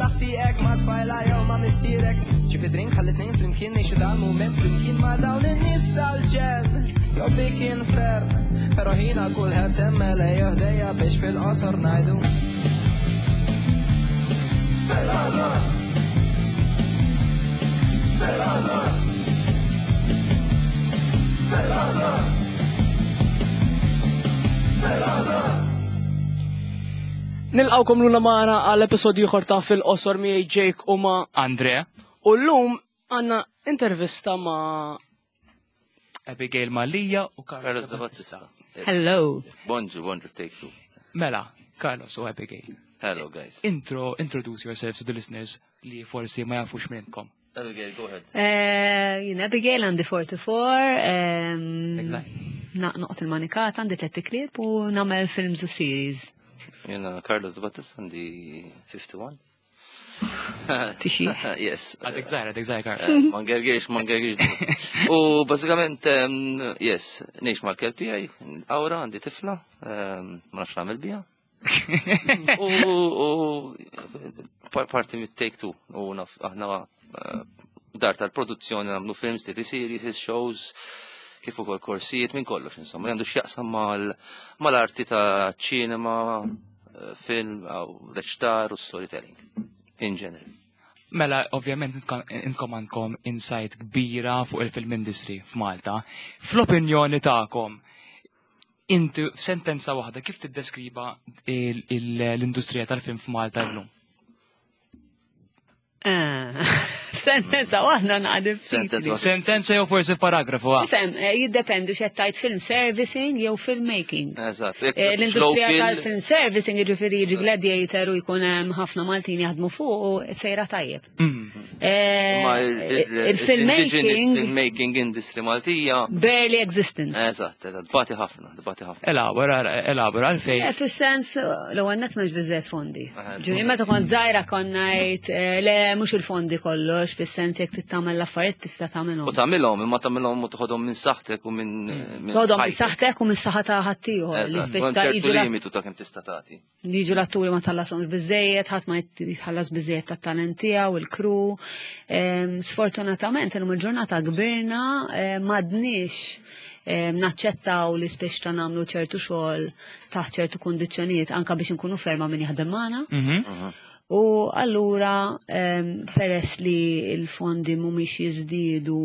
Serraħ sieqek ma' tfajla jew ma' missierek. Ġib id-drink ħalli tnejn flimkien ngħixu dan mument flimkien ma' dawn in-nies tal-ġenn. Jew dik infern, però ħina kulħadd hemm lejja ħdejja biex fil-qosor ngħidu. Fil-qosor! Fil-qosor! Fil-qosor! Fil-qosor! Nilqawkom luna magħna għal episodju ieħor ta' fil-qosor miegħi Jake u ma' Andre, U llum għandna intervista ma' Abigail Mallia u Carlos Carlos De Battista. Hello. Bonġu, bonġu, take two. Mela, Carlos u Abigail. Hello, guys. Intro, introduce yourselves to the listeners li forsi ma jafux minnkom. Abigail, go ahead. Jien Abigail għandi 44. Exact. Noqt il-manikata, għandi tlet iklib u nagħmel films u series. Jena Carlos De Battista għandi 51. Tixi. Yes. Għadek zaħir, għadek zaħir, Carlos. Ma ngergirx, ma ngergirx. U bażikament, yes, ngħix mal-kelb tiegħi, Awra, għandi tifla, ma nafx nagħmel biha. U u parti mit-take two, u naf aħna dar tal-produzzjoni nagħmlu films, TV series, shows, kif ukoll korsijiet minn kollox, insomma, li għandu x'jaqsam mal-arti ta' ċinema, film, aw reċtar u storytelling, in general. Mela, ovvjament, intkom għandkom insight kbira fuq il-film industry f'Malta. Fl-opinjoni tagħkom, inti f'sentenza waħda kif tiddeskriva l-industrija tal-film f'Malta llum? Sentenza waħda naqdib. Sentenza waħda. Sentenza jew forsi f'paragrafu, ah. Fem, jiddependi x'qed tgħid film servicing jew filmmaking. Eżatt. L-industrija tal-film servicing jiġifieri jiġi Gladiator u jkun hemm ħafna Maltin jaħdmu fuq u sejra tajjeb. Ma Il-filmmaking filmmaking industry Maltija. barely existent. Eżatt, eżatt, bati ħafna, bati ħafna. Elabora, elabora, għalfejn. Fis-sens, l-ewwel nett m'hemmx biżżejjed fondi. Ġifieri meta kont żgħira kont ngħid le mhux il-fondi kollox, fis-sens jekk trid tagħmel l-affarijiet tista' tagħmilhom. U tagħmilhom, imma tagħmilhom u toħodhom minn saħħtek u minn Toħodhom minn saħħtek u minn saħħa ta' ħaddieħor. Li Eżatt, speċi ta' ċertu jiġu limitu ta' kemm tista' tagħti. Jiġu l-atturi ma tħallashomx biżejjed, ħadd ma jitħallas biżejjed tat-talent tiegħu, il-crew. Sfortunatament illum il-ġurnata kbirna m'għadniex naċċettaw li speċi ta' nagħmlu ċertu xogħol taħt ċertu kundizzjonijiet anka biex inkunu ferma min jaħdem magħna. U allura peress li l-fondi mhumiex jiżdiedu,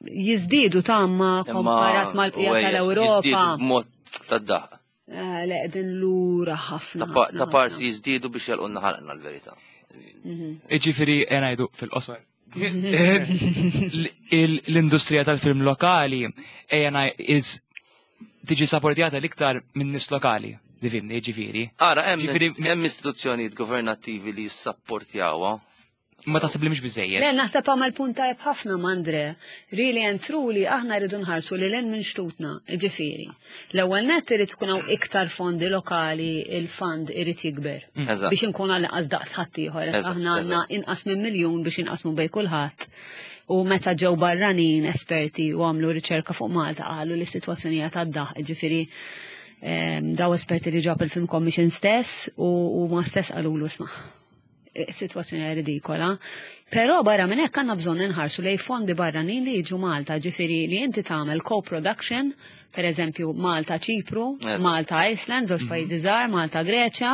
jiżdiedu ta' ma komparat mal-bqija tal-Ewropa. Jiżdiedu b'mod tad-daqq. Le, qegħdin lura ħafna, Ta' ħafna, parsi ħafna. jiżdiedu biex jalqulna ħalqna l-verità. Iġifieri ngħidu fil-qosor. L-industrija tal-film lokali ejja is tiġi supportjata l-iktar minn nies lokali, difimni, ġifieri. Ara, Ġifieri hemm istituzzjonijiet governattivi li jissapportjawha. Ma taħseb li mhux biżejjed. Le, naħseb għamel punt tajjeb ħafna m'Andre. Really and truly aħna rridu nħarsu lil hinn minn xtutna, ġifieri. L-ewwel nett irid ikun hawn iktar fondi lokali, il-fund irid jikber. Biex inkun għal inqas daqs ħaddieħor. Aħna għandna inqas minn miljun biex inqasmu bejn kulħadd. U meta ġew barranin esperti u għamlu riċerka fuq Malta qalu li s-sitwazzjoni hija tad-daħq, ġifieri daw esperti li ġab il-Film Commission stess u ma stess qalulu isma' situazzjoni ridikola. Però barra minn hekk għandna bżonn inħarsu lej fondi barranin li jiġu Malta, ġifieri li inti tagħmel co-production, per eżempju Malta Ċipru, Malta Iceland, żewġ pajjiżi żgħar, Malta Greċja,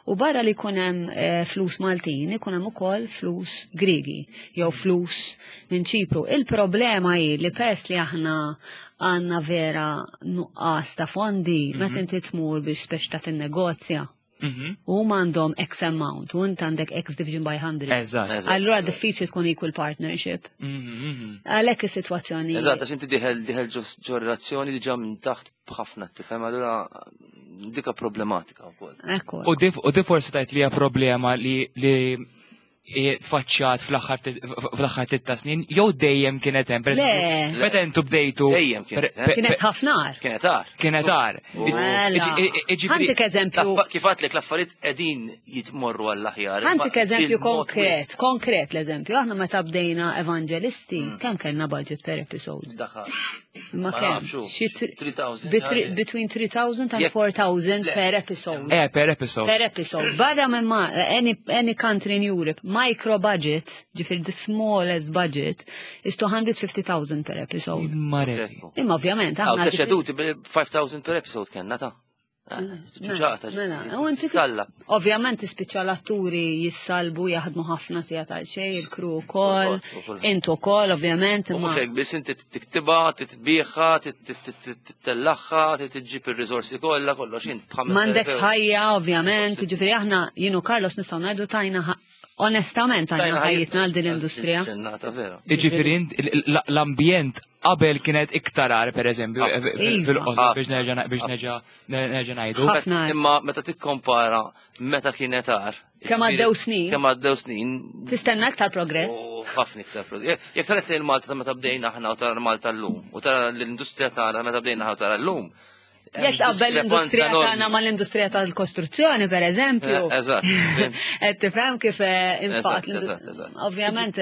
u barra li jkun hemm flus Maltin, ikun hemm ukoll flus Griegi jew flus minn Ċipru. Il-problema hi li peress li aħna għandna vera nuqqas ta' fondi, meta inti tmur biex speċi ta' tinnegozja. U huma għandhom X amount, u inti għandek X division by 100. Allura diffiċli tkun equal partnership. Għalhekk is-sitwazzjoni. Eżatt, għax inti diħel ġo relazzjoni diġà minn taħt b'ħafna tifhem, allura dika problematika wkoll. Ekku. U di forsi tajt li hija problema li tfaċċat fl-aħħar tliet snin, jew dejjem kienet hemm, per eżempju, Le. meta intu bdejtu Dejjem kienet hemm. Kienet ħafna agħar. Kienet agħar. Kienet agħar. Mela. Iġifieri Ħantik eżempju. Kif għadlek l-affarijiet qegħdin jitmorru għall-aħjar. Ħantik Imma eżempju il-mod konkret, wisq. konkret l-eżempju. Aħna meta bdejna Evangelisti, kemm kellna budget per episode? Daħal. Ma Ma kemm? nafx, hu. Xi 3,000. Between 3,000 and Jekk- 4,000 Le. per episode. Per episode. Per episode. Barra minn ma, any country in Europe, micro budget, ġifieri the smallest budget, is 250,000 per episode. Marelli. Imma ovvjament, Għaw, aħna. deċeduti bil 5,000 per episode kellna ta'. Ċuċata. Mela, u inti- Salla. Ovvjament tispiċċa l-atturi jissalbu jaħdmu ħafna sija tal-xej, il-crew ukoll, U koll. intu ukoll, ovvjament. U imma- mhux hekk biss inti tiktibha, titbieħha, titellaħħa, titġib ir-riżorsi kollha, kollox int b'ħames M'għandekx elef euro. ħajja, ovvjament, ġifieri aħna jien u Carlos nistgħu ngħidu tajna onestament tajna ħajjitna għal din l-industrija. Ġennata vera. Iġifieri int- l-ambjent qabel kienet iktar għar, per eżempju, Ah. Iva. fil-qosor biex nerġa' biex nerġa' nerġa' ngħidu. Ħafna. Imma meta tikkompara meta kienet għar. Kemm għaddew snin. Kemm għaddew snin. Tistenna aktar progress. U ħafna iktar progress. Jekk tara lejn Malta ta' meta bdejna aħna u tara Malta llum, u tara l-industrija tagħna meta bdejna aħna u tara llum. hemm Jekk tqabbel l-industrija diskrepanza tagħna mal-industrija tal-kostruzzjoni, per eżempju. Eżatt. Qed tifhem kif infatt. Eżatt, eżatt, eżatt. Ovvjament,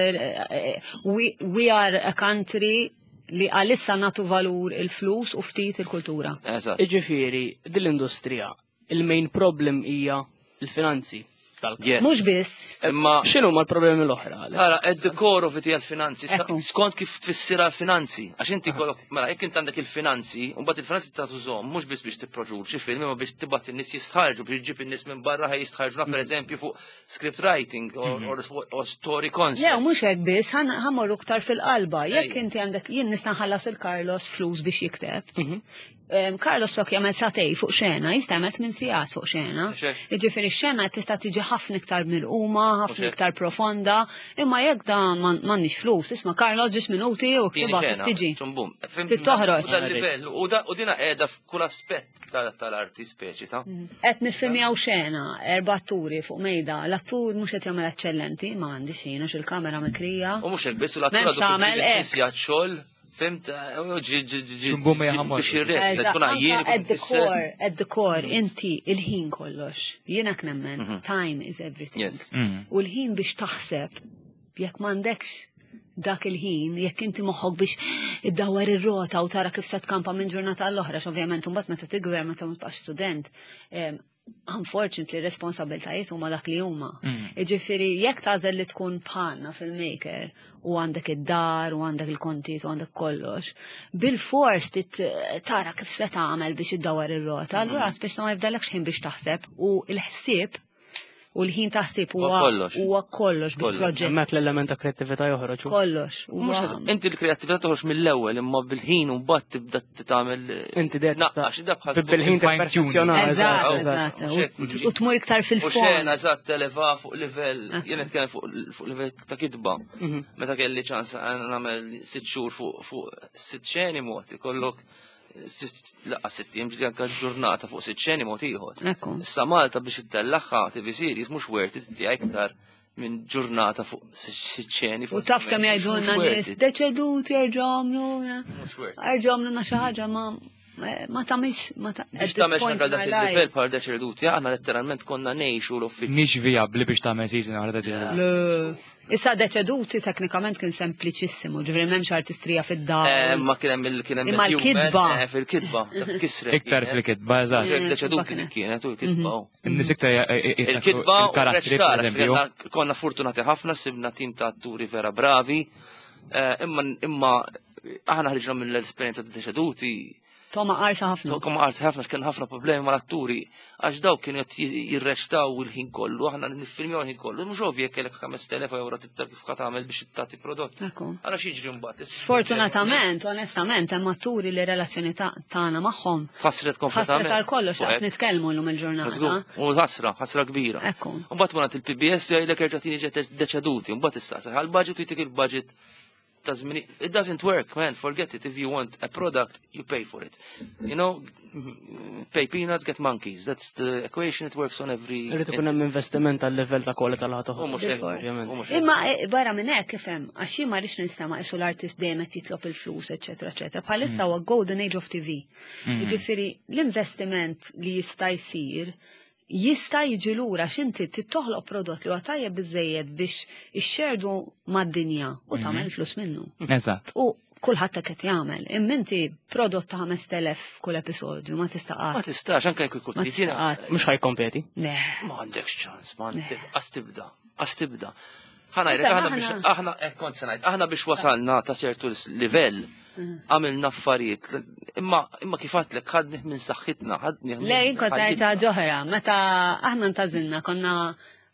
we are a country li għalissa natu valur il-flus u ftit il-kultura. Eżatt. Iġifieri, din l-industrija, il-main problem hija il-finanzi tal Yes. Mhux biss, Imma X'inhu ma l-problemi l-oħra? Alex? Ara, at the core of it hija l-finanzi. Ekku. Skont kif tfissirha l-finanzi. Għax inti kollok, mela, jekk int għandek il-finanzi, u mbagħad il-finanzi ta' tużhom mhux biss biex tipproduċi film, imma biex tibgħat in-nies jistħarġu, biex ġib in-nies minn barra ħaj jistħarġuna pereżempju fuq script writing or story Le, concept. mhux hekk biss, ħammorru iktar fil-qalba. Jekk Ejja. inti għandek jien nista' nħallas il-Carlos flus biex jikteb. Carlos flok jagħmel satej fuq xena, jista' jagħmel tmien sigħat fuq xena. Mhux hekk. Jiġifieri x-xena tista' tiġi ħafna iktar milquma, ħafna hekk. iktar profonda, imma jekk da m'għandniex flus, isma' Carlos ġiex minuti u Tieni ktibha kif xena, tiġi. ċumbum. Fhimt? Trid toħroġ. U dal-livell, u dina qiegħda f'kull aspett tal-arti speċi ta' Qed niffilmjaw xena, erba' atturi fuq mejda, l-attur mhux qed jagħmel eċċellenti, ma għandix ħin għax il-kamera mikrija. U mhux hekk biss u l-attura M'hemmx tagħmel hekk. nisja xogħol, fimt, ġi ġi ġi Ċumbum ma jaħamorx. biex jirrek, Eżatt, tkun għajjien, anka ikun at the kisser. core, at the core, inti il-ħin kollox. Jiena nemmen, time is everything. Yes. U l-ħin biex taħseb, jekk m'għandekx dak il-ħin, jekk inti moħħok biex iddawwar ir-rota u tara kif se tkampa minn ġurnata għall-oħra, ovvjament imbagħad meta tikber meta ma tibqax student, unfortunately responsabiltajiet huma dak li huma. Jiġifieri jekk tagħżel li tkun bħalna filmmaker u għandek id-dar u għandek il-kontijiet u għandek kollox, bil-fors tit tara kif se tagħmel biex iddawwar ir-rota, allura spiss ma jibdalekx ħin biex taħseb u l-ħsieb u l-ħin taħsib Huwa huwa kollox. huwa kollox Kollox. bil-proġett. Hemmhekk l-element ta' kreattività joħroġ. Kollox. Mhux Huwa inti l-kreattività toħroġ mill-ewwel imma bil-ħin u mbagħad tibda tagħmel Inti dejjem naqqax da bħal Bil-ħin Fine tuning. tipperfezzjona. Eżatt, Eżatt, eżatt. U tmur iktar U xena fil-fond. eżatt televa fuq livell, jien nitkellem fuq livell ta' kitba. Meta kelli ċans nagħmel 6 xhur fuq sitt xeni mod, ikollok laqqa 6 ijiem ġieli anke ġurnata fuq sitt xeni mod ieħor. Ekku. Issa Malta biex ittellaħħa TV series mhux worth it tiegħi iktar minn ġurnata fuq sitt xeni. U taf kemm jgħidulna nies, deċedut jerġgħu għamlu, Mhux worth it. jerġgħu għamlu xi ħaġa ma tagħmilx ma ta' Biex tagħmel xi ħaġa dak il-livell bħal deċeduti, aħna letteralment konna ngħixu l-uffiċċju. Mhix vijabbli biex tagħmel season oħra ta' din. Issa deċeduti teknikament kien sempliċissimu, ġifieri m'hemmx artistrija fid-dar. Ma kien hemm il kien hemm Imma il-human, l-kitba. Fil-kitba, dak kisret. Iktar kienet. fil-kitba, eżatt. Jekk Mm, Deċeduti kienet. li kienet u l-kitba. u. In-nies iktar Il-kitba u il-karattri, reċtar, per eżempju. konna fortunati ħafna, sibna tim ta' atturi vera bravi, imma aħna ħriġna mill-esperjenza ta' deċeduti, Toma qarsa ħafna. Kom qarsa ħafna kien ħafna problemi mal-atturi, għax daw kienu qed jirreċtaw il-ħin kollu, aħna niffilmjaw il-ħin kollu, mhux ovvji jekk kellek 5000 euro tittar kif ħa tagħmel biex tagħti prodott. Ekku. Ara x'jiġri mbagħad. Sfortunatament, onestament, hemm atturi li relazzjoni tagħna magħhom Ħasret ħasret kompletament. għal kollox Fuq qed hekk. nitkellmu llum il-ġurnata. Żgur, U ħasra, ħasra kbira. Ekku. Mbagħad wara il-PBS jgħidlek erġa' tieni ġet deċeduti, mbagħad issa seħ għall-budget u jtik il-budget ta' żmien. It doesn't work, man, forget it. If you want a product, you pay for it. Pay peanuts, get monkeys. That's the equation, it works on every. Irrid ikun hemm investiment għal livell ta' kwalità li U ħa toħroġ. mhux hekk, Ovvjament. u mhux hekk. Imma barra minn hekk ifhem, għax jien ma rridx nistama' isu l-artist dejjem qed jitlob il-flus, eċetera, eċetera. Bħalissa huwa golden age of TV. Jiġifieri l-investiment li jista' jsir jista' jiġi lura x'inti tittoħloq prodott li huwa tajjeb biżejjed biex ixxerdu mad-dinja u tagħmel flus minnu. Eżatt. U Kulħadd hekk qed jagħmel. Imma inti prodott ta' 5000 kull episodju ma tista' Ma qatt. tistax, anke jekk ikun Ma trid, jiena- tista' qatt. Mhux ħajkompeti. Le. Ma għandekx ċans, ma għandek, qas tibda, qas tibda. Ħa ngħidlek, Issa, aħna biex, aħna- aħna, eh, kont se ngħid, aħna biex wasalna ta' ċertu livell, għamilna affarijiet, imma imma kif għedtlek, ħadnih minn saħħitna, ħadnih minn. Le, jien kont ngħid ħajjitna. ħaġa oħra, meta aħna ntażilna konna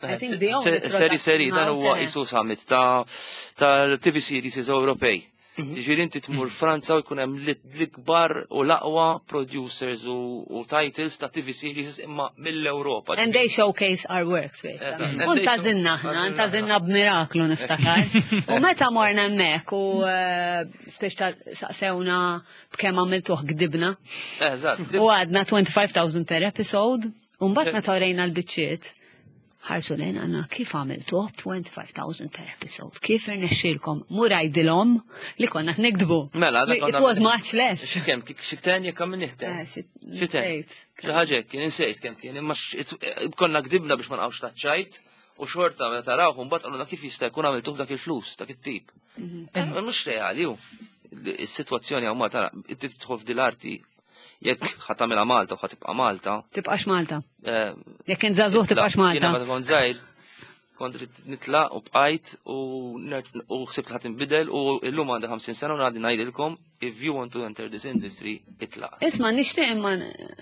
I think the only Seri seri, dan production huwa house, eh. isu summit ta' tal-TV series Ewropej. Ġifieri inti tmur Franza u jkun hemm l-ikbar u l-aqwa producers u titles ta' TV series imma mill-Ewropa. And they showcase our works, Eżatt. basically. And U they ntażilna show- aħna, ntażilna b'miraklu niftakar. U meta morna hemmhekk u speċ ta' saqsewna b'kemm għamiltuh gdibna. Eżatt. U għadna 25,000 per episode. U mbagħad meta orejna l-biċċiet, ħarsu lejn għanna kif għamiltuh 25,000 per episode. Kif irnexxielkom mur għidilhom li konna nikdbu. Mela, dak Li konna It was much less. Xi kemm, xi ten jekk għamil Eh, ten. Xi ten. nsejt. Xi ħaġa hekk, kien insejt kemm kien, imma konna gdibna biex ma nqgħux taċ-ċajt u xorta meta tarawh mbagħad qalulna kif jista' jkun għamiltuh dak il-flus, dak it-tip. Mhux reali hu. Is-sitwazzjoni hawn ma tara, inti tidħol f'dil-arti jekk ħa tagħmilha Malta u ħa tibqa' Malta. Tibqax Malta. Eh, Jekk int żagħżugħ tibqax Jiena Malta. meta kont żgħir, kont rrid nitlaq u bqajt u u ħsibt li ħadd inbidel u llum għandi 50 sena u ngħaddi ngħidilkom if you want to enter this industry, itlaq. Isma' nixtieq imma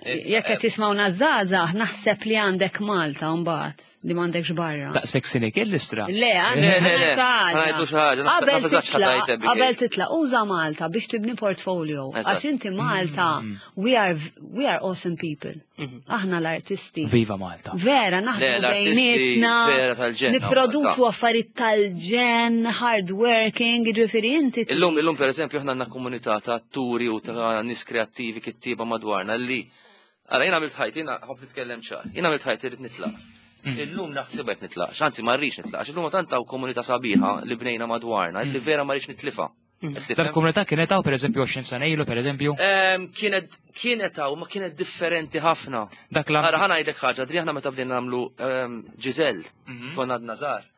jekk qed jismgħuna żgħażagħ naħseb li għandek Malta mbagħad li m'għandekx barra. Daqshekk sinik il-listra. Le, Le, għandek le, le, xi ħaġa. ħa ngħidu xi ħaġa, Qabel naf eżatt x'ħa titlaq, tgħid, Abigail. qabel titlaq, uża Malta biex tibni portfolio. Eżatt. Għax inti Malta, we are awesome people. Aħna l-artisti. Viva Malta. Vera, Le, naħdmu l-artisti bejnietna, vera tal-ġenn, niproduċu Malta. affarijiet tal-ġenn, hard working, ġifieri inti. Illum, illum per eżempju, aħna għandna komunità ta' atturi u ta' nies kreattivi kittieba madwarna li Ara, jiena għamilt ħajti, jiena ħobb nitkellem ċar, jiena għamilt ħajti rrid nitlaq. Illum naħseb qed nitlaq, anzi ma rridx nitlaq, illum tant hawn komunità sabiħa li bnejna madwarna, li vera ma rridx nitlifa. Qed tifhem? Dal-komunità kienet hawn pereżempju 20 sena ilu pereżempju. Kienet hawn, ma kienet differenti ħafna. Dak la Ara, ħa ngħidlek ħaġa, Adri, aħna meta bdejna nagħmlu Giselle, konna għadna żgħar.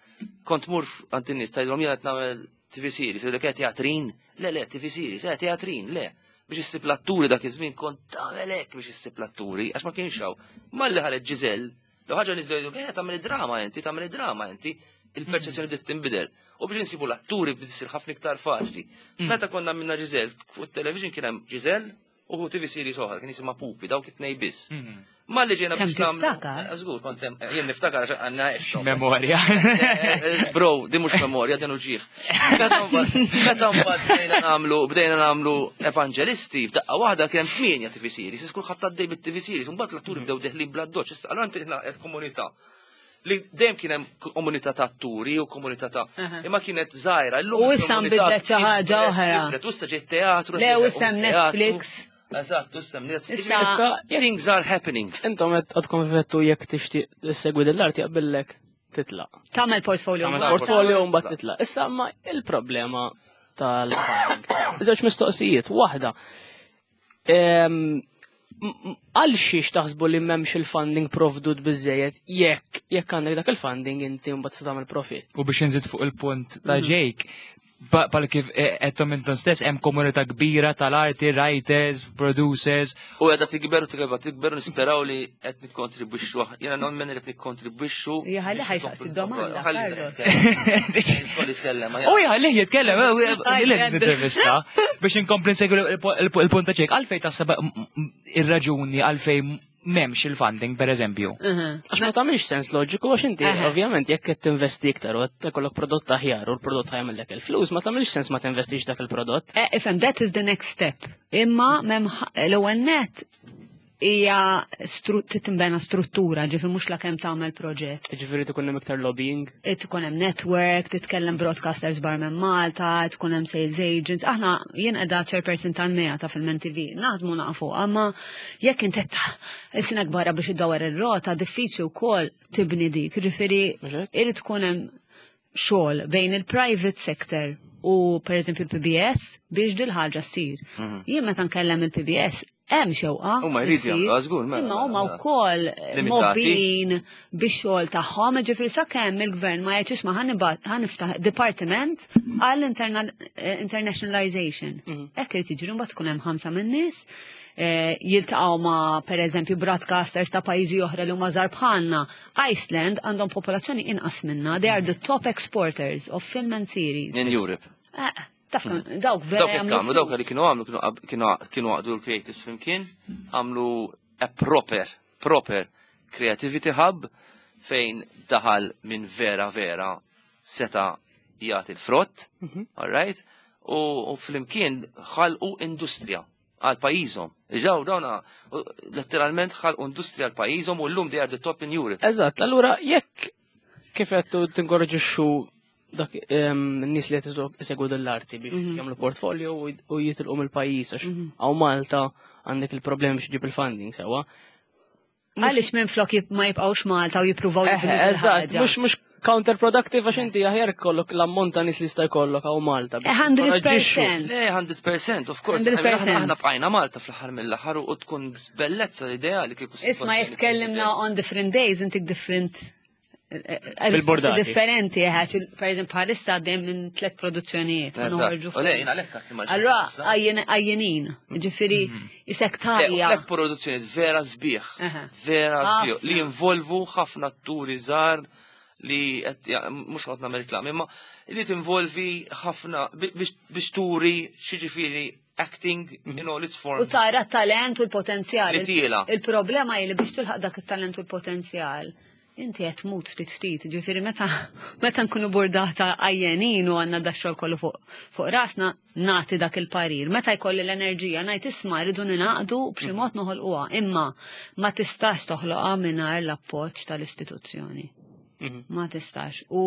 Kont mur għand in-nies tgħidilhom jiena qed nagħmel TV series, jgħidulek "Eh, teatrin? Le, le, TV series, eh, teatrin, le. Biex issib l-atturi dak iż-żmien kont tagħmel hekk biex issib l-atturi, għax ma kienx hawn. Malli ħareġ Giselle, l ħaġa nies bdew jgħidu, eh, tagħmel drama inti, tagħmel drama inti, il-perċezzjoni bdiet tinbidel. U biex insibu l-atturi bdiet issir ħafna iktar faċli. Meta konna minna Giselle, fuq it-television kien hemm Giselle u TV series oħra, kien jisimha Pupi, dawk it-tnej biss. Malli ġejna Kemm biex nagħmlu. tiftakar? Eh, Żgur, kont hemm, jien niftakar għax għandna għexhom. Memorja. Eh, Bro, di mhux memorja, din uġieħ. Meta mbagħad bdejna nagħmlu bdejna nagħmlu evangelisti, f'daqqa waħda kien hemm tmienja TV series, is kulħadd għaddej bit-TV series, mbagħad l-atturi bdew deħlin bla doċ, issa allura inti qed komunità li dejjem kien hemm komunità ta' atturi u komunità ta' imma kienet żgħira. Illum U issa il-komunità nbidlet xi ħaġa kibret, oħra. kibret, U issa ġiet teatru. Le, u issa hemm teatru. Netflix. Eżatt, u issa hemm Netflix. Issa- Things are happening. Intom qed għadkom vettu jekk tixtieq issegwi dell-arti jaqbillek titlaq. Tagħmel portfolio. Tagħmel Malta. portfolio u mbagħad titlaq. Issa ma il-problema tal-funding. Żewġ mistoqsijiet, waħda. Għal xiex taħsbu li m'hemmx il-funding provdut biżejjed jekk għandek dak il-funding inti mbagħad se tagħmel profit. U biex nżid fuq il-punt ta' Jake, pal kif qedtom intom stess hemm komunità kbira tal-arti, writers, producers. U għedha tikber u tikber tikber u nisperaw li qed nikkontribwixxu. Jiena nemmen li qed nikkontribwixxu. Ja, ħalli ħajsaqsi d-domanda, Ħalli- Carlos. Kolli sellem, U jħallih jitkellem, Aj, l-intervista, biex inkompli nsegwi il-punt ta' Jake. Għalfej taħseb ir-raġuni għalfej m'hemmx il-funding, per eżempju. Għax ma tagħmilx sens loġiku għax inti ovvjament jekk qed tinvesti iktar u qed ikollok prodott aħjar u l-prodott ħajmellek il-flus, ma tagħmilx sens ma tinvestix dak il-prodott. Eh, Ifhem, that is the next step. Imma mem l-ewwel net hija titinbena struttura, ġifier mhux la kemm tagħmel proġett. Ġifieri tkun hemm iktar lobbying. Tkun hemm network, titkellem broadcasters bar minn Malta, tkun hemm sales agents. Aħna jien qiegħda chairperson tal-MEA ta' Film TV, naħdmu nafu, imma jekk inti is-sena kbara biex iddawar ir-rota, diffiċli wkoll tibni dik. Ġifieri Mhux hekk? irid tkun hemm xogħol bejn il-private sector u per eżempju il-PBS biex dil ħaġa ssir. Jien meta nkellem il-PBS Hemm xewqa. Huma jridu jagħmlu, żgur, mela. Imma huma mela. wkoll mobbin bix-xogħol tagħhom, ġifieri sakemm il-gvern ma jgħidx isma' ħaniftaħ dipartiment għall eh, internationalization. Hekk irid jiġri mbagħad tkun hemm ħamsa min-nies eh, jiltaqgħu ma' pereżempju broadcasters ta' pajjiżi oħra li huma żgħar bħalna. Iceland għandhom popolazzjoni inqas minna, they are the top exporters of film and series. In Europe. Eh, Taf kemm dawk vera Dawk jagħmlu. Għamlu dawk li kienu għamlu kienu kienu għaqdu l-creatives flimkien, għamlu a proper, proper creativity hub fejn daħal minn vera vera seta jagħti l-frott, all right? U flimkien ħalqu industrija għal pajjiżhom. Ġaw dawna letteralment ħalqu industrija għal pajjiżhom u llum they are the top in Europe. Eżatt, allura jekk kif qed tinkoraġixxu dak n-nies li qed isegwu l-arti biex jagħmlu portfolio u jitilqu mill-pajjiż għax hawn Malta għandek il-problemi biex ġib il-funding sewwa. Għaliex minn flok ma jibqgħux Malta u jippruvaw Eżatt, mhux counterproductive għax inti aħjar kollok l-ammont ta' nies li jista' jkollok hawn Malta. 100%. Le, 100%, of course. Aħna bqajna Malta fl-aħħar mill-aħħar u tkun bellezza ideali kieku. Isma' jekk tkellimna on different days intik different Risposti differenti, għax per eżempju bħalissa għaddejjem minn tliet produzzjonijiet. Allora, għajjenin, ġifiri, isek tajja. Tliet produzzjonijiet vera sbieħ, vera sbieħ, li jinvolvu ħafna atturi żgħar li mhux ħadd nagħmel reklam, imma li tinvolvi ħafna biex turi xi acting in all its forms. U tara t-talent u l-potenzjal. Li tiela. Il-problema hi li biex tilħaq dak it-talent u l-potenzjal Inti qed tmut ftit ftit, ġifieri meta meta nkunu burdata għajjenin u għandna da xogħol kollu fuq fuq rasna nagħti dak il-parir. Meta jkolli l-enerġija ngħid isma' rridu ninaqdu b'xi mod noħolquha, imma ma tistax toħloqha mingħajr l-appoġġ tal-istituzzjoni. Ma tistax. U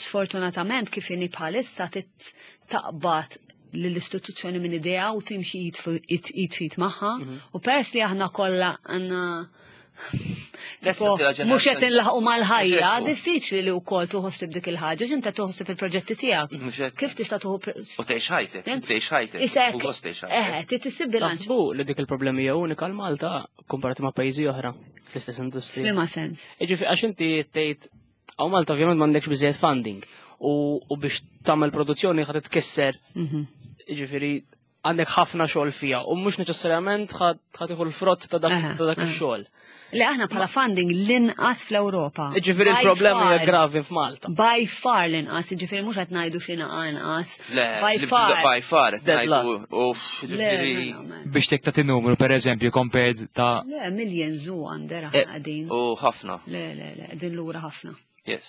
sfortunatament kif inhi bħalissa taqbad lill-istituzzjoni minn idea u timxi id fit magħha. U pers li aħna kollha għandna Mhux qed inlaħqu mal-ħajja, diffiċli li wkoll tuħossib dik il-ħaġa, x'inta tuħossib il-proġetti tiegħek. Kif tista' tuħu U tgħix ħajtek, tgħix ħajtek. Isek. Eh, trid issib bilanċ. Naħsbu li dik il-problemi hija unika l Malta komparati ma' pajjiżi oħra fl-istess industrija. F'liema sens. Jiġifieri għax inti tgħid hawn Malta ovvjament m'għandekx biżejjed funding u biex tagħmel produzzjoni ħad titkisser. Jiġifieri għandek ħafna xogħol fija u mhux neċessarjament ħa tieħu l-frott ta' dak ix-xogħol. Le aħna bħala funding l-inqas fl-Ewropa. Ġifieri l-problema hija gravi f'Malta. By far l-inqas, ġifieri mhux qed ngħidu xi inqas. By far. By far qed ngħidu. Ġifieri. Biex tek tagħti numru pereżempju compared ta' Le, millions u għander aħna qegħdin. U ħafna. Le, le, le, qegħdin lura ħafna. Yes.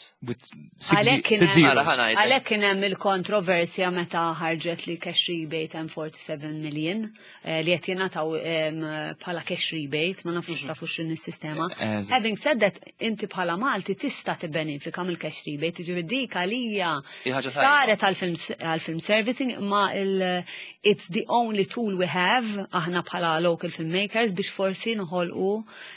Għalhekk kien hemm il-kontroversja meta ħarġet li cash rebate hemm 47 million eh, li qed jingħataw bħala cash rebate, ma nafux mhm. tafu x'in is-sistema. Eh, Having said that, inti bħala Malti tista' tibbenefika mill-cash rebate, jiġifieri dik għalija saret għall-film servicing ma it's the only tool we have aħna bħala local filmmakers biex forsi nħolqu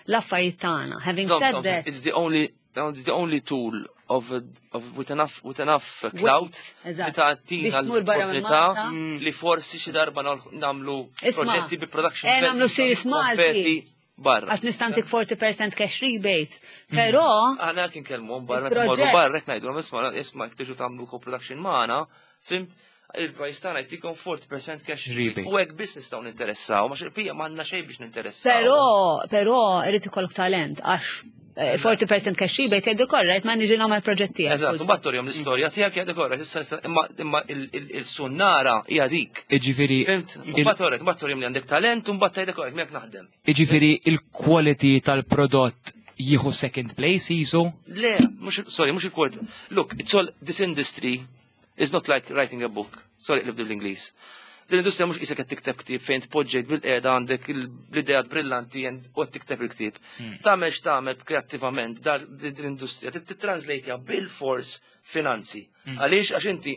l-affarijiet tagħna. Having said that, it's the only It's the only tool of, of with enough with enough clout li tagħtina l-opportunità mm. li forsi xi darba nagħmlu proġetti bi production. Eh, nagħmlu series Malti barra. Għax nistantik 40% cash rebate. Mm. Però. Aħna kien kellmu barra, morru barra, jekk ngħidu, isma' isma' jekk tiġu tagħmlu co-production magħna, fimt, il-pajis tagħna jtikom 40% cash rebate. U hekk biss nistgħu ninteressaw, ma xirpija m'għandna xejn biex ninteressaw. Però, però irid ikollok talent għax 40% eh, cash rebate jgħidu korrekt ma niġi nagħmel proġett tiegħek. Eżatt, u battorjom l-istorja tiegħek jgħidu korrekt, issa imma il-sunnara hija dik. Iġifieri. Fimt, u battorek, battorjom li għandek talent u mbagħad tgħidek korrekt miegħek naħdem. Iġifieri il-quality tal-prodott jieħu second place jisu? Le, mhux sorry, mhux il-quality. Look, it's all this industry It's not like writing a book. Sorry, qlib bl-Ingliż. Din l-industrija mhux qisek qed tikteb ktieb fejn tpoġġejt bil-qiegħda għandek l-ideat brillanti u qed tikteb il-ktieb. Hmm. Tagħmel x'tagħmel kreattivament din l-industrija titranslate bil-fors finanzi. Hmm. Għaliex għax inti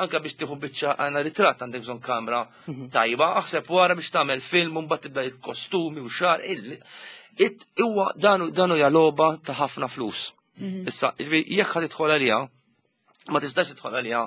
anka biex tieħu biċċa għandna ritratt għandek bżonn kamra hmm. tajba, aħseb wara biex tagħmel film u mbagħad tibda il-kostumi u xar. Huwa danu hija logħba ta' ħafna flus. Issa, jekk ħad tidħol għaliha, ma tistax tidħol għaliha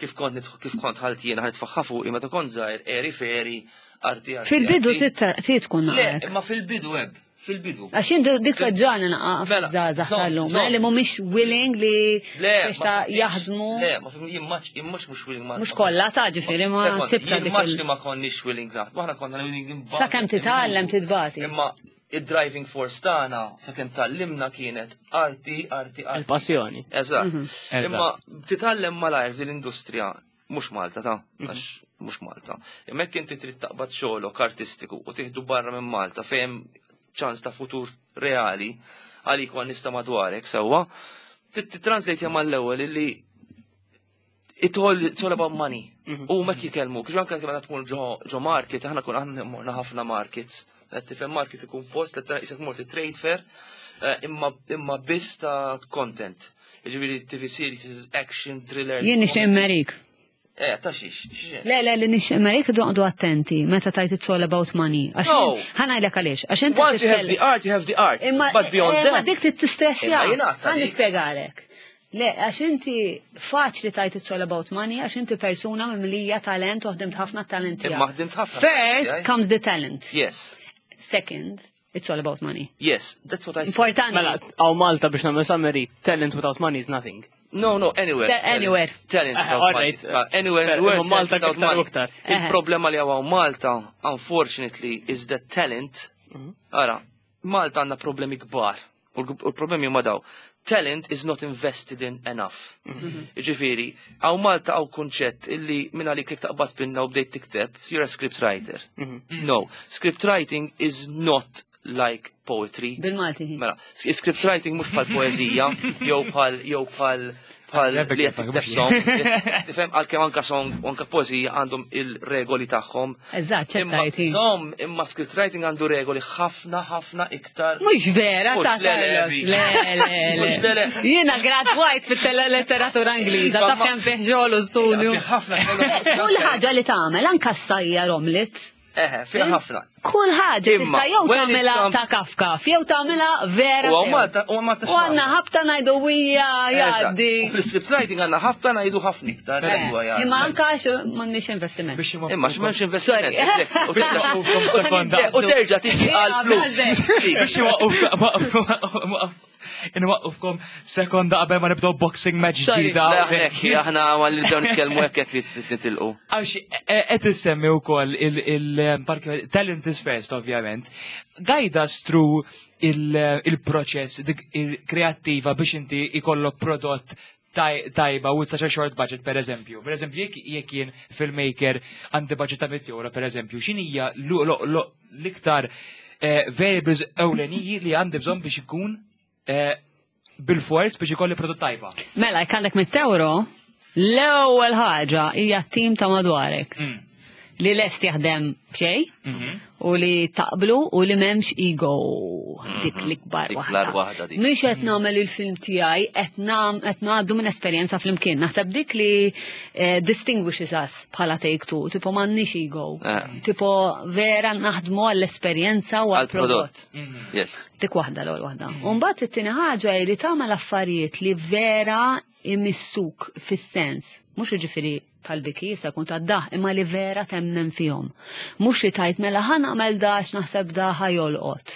kif kont kif kont ħalt jiena ħad tfaħħa fuqi meta kont żgħir eri feri arti arti. Fil-bidu arti. trid tkun Le, naqrek. imma fil-bidu eb, fil-bidu. Għax jien dik tweġġani naqa' Mela, żgħażagħ żomm, tal-lum, żomm. li mhumiex willing li Le, biex ta' jaħdmu. Le, ma fim, jien maċ, jien mhux mhux willing ma. Mhux kollha ta' ġifieri ma Sekond, sibta jien dik maċ il- li ma konniex willing naħdmu, aħna konna willing imbagħad. Sakemm titgħallem titbati. Imma id-driving force tagħna sakemm tgħallimna kienet arti, arti, arti. Il-passjoni. Eżatt. Eżatt. Imma titgħallem malajr din l-industrija mhux Malta ta' għax mhux Malta. Imma jekk inti trid taqbad xogħlok artistiku u tieħdu barra minn Malta fejn ċans ta' futur reali għalik u għan-nies ta' madwarek sewwa, titranslate mal-ewwel illi it all, it's all about money. U mek jitkellmu, kif anke meta tkun ġo ġo market, aħna kun aħna morna ħafna markets. Qed tifhem market ikun post li tara isek mort trade fair, imma biss ta' content. Jiġifieri TV series, action, thriller. Jien nixtieq immerik. Ta' xiex, xiex. Le, le, li nixtieq immerik għodu attenti meta tajt it's all about money. Għax No. ħa ngħidlek għaliex. Għax inti Once you have the titkellem- art, you have the art. Imma But beyond imma that. dik tistressja. Imma jien għadta Ħa dik. nispjegalek. Le, għax inti faċli tajt it's all about money, għax inti persuna mimlija talent u ħdimt ħafna talent tiegħek. Imma ħdimt ħafna First tiegħi. comes the talent. Yes. Second, it's all about money. Yes, that's what I said. Importanti. Mela, hawn Malta biex nagħmel summary, talent without money is nothing. No, no, anywhere. Anywhere. Talent without All money. right. Anywhere, Fair, anywhere, imma Malta talent without iktar u money. iktar. Il-problema li hawn Malta, unfortunately, is that talent. Ara, Malta għandna problemi kbar. U l-problemi huma daw. Talent is not invested in enough. Ġifieri, hawn Malta hawn kunċett illi minn għalik li taqbad pinna u bdejt tikteb, you're a script writer. No, script writing is not like poetry. Bil-Malti. Mela, script writing mhux bħal poeżija, jew bħal li qed tikteb song, tifhem għalkemm anka song u anka poeżija għandhom il-regoli tagħhom. Eżatt, Imma ċettajti. Som, imma script writing għandu regoli ħafna ħafna iktar. Mhux vera, Mhux ta' le, le, Carlos. bi. Le, le, Mhux le, le. le. Jiena gradwajt fit-letteratura Ingliża, ta' Ma- kemm fih xogħol u studju. Fi ħafna xogħol. Kull ħaġa li tagħmel anka s-sajjar omlet. Eħe, fiha ħafna. Kull ħaġa Imma, tista' jew when it tagħmilha comes- ta' kafkaf, jew tagħmilha vera. U sew. Malta, u Malta U għandna ħabta ngħidu wija Eżatt. jgħaddi. U fil-script writing għandna ħafna ngħidu ħafna iktar. Eh, Imma anka għax m'għandniex investiment. Biex Imma x'm'hemmx investiment. Sorry. exactly. U Biex waqqufkom sekonda. U terġa' tiġi għal flus. Biex inwaqqufkom sekonda qabel ma nibdew boxing match Sorry. ġdida. Le, aħna hekk, aħna għalli nibdew nitkellmu hekk hekk li nitilqu. Għax qed issemmi wkoll il-parki talent is first ovvjament. Guide us through il-proċess dik il-kreattiva biex inti ikollok prodott tajba with such a short budget per eżempju. Per eżempju, jekk jien filmmaker għandi budget ta' 100 euro per eżempju, x'inhija l-iktar variables ewleniji li għandi bżonn biex ikun bil-fors biex ikolli prodott tajba. Mela, jekk għandek 100 euro, l-ewwel ħaġa hija t-tim ta' madwarek li lest jaħdem b'xejn u li taqblu u li m'hemmx ego dik l-ikbar Dik waħda. l-ar waħda dik. Mhix qed nagħmel il-film tiegħi, qed ngħaddu minn esperjenza flimkien. Naħseb dik li distinguishes us bħala Take Two, tipo m'għandniex ego. Tipo vera naħdmu għall-esperjenza u għall-prodott. Għal-prodott. Yes. Dik waħda l-ewwel waħda. U mbagħad it-tieni ħaġa hi li tagħmel affarijiet li vera imissuk fis-sens. Mhux jiġifieri tal-biki jista' jkun tad-daħ, imma li vera temmen fihom. Mhux li tajt mela ħa nagħmel dax naħseb da ħa jolqot.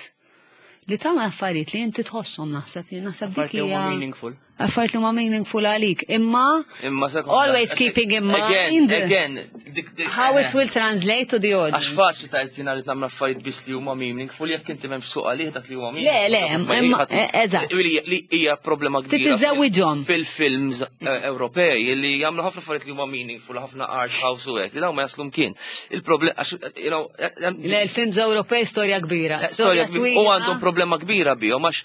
Li tagħmel affarijiet li inti tħosshom naħseb, jien naħseb dik Affarijiet li huma hija meaningful. Affarijiet li huma meaningful għalik. Imma Imma sekonda. Always keeping in Again, mind again. how it will translate to the Għax audience. faċli tajt jina li nagħmel affarijiet biss li huma meaningful jekk inti m'hemmx suq għalih dak li huwa meaningful. Le, le, Ma imma- eżatt. Li hija problema kbira. Titiżewwiġhom. Fil-films Ewropej li jagħmlu ħafna affarijiet li huma meaningful, ħafna art house u hekk, li dawn ma jaslu mkien. Il-problema għax Le, il-films Ewropej storja kbira. Storja kbira. U twila. għandhom problema kbira bihom għax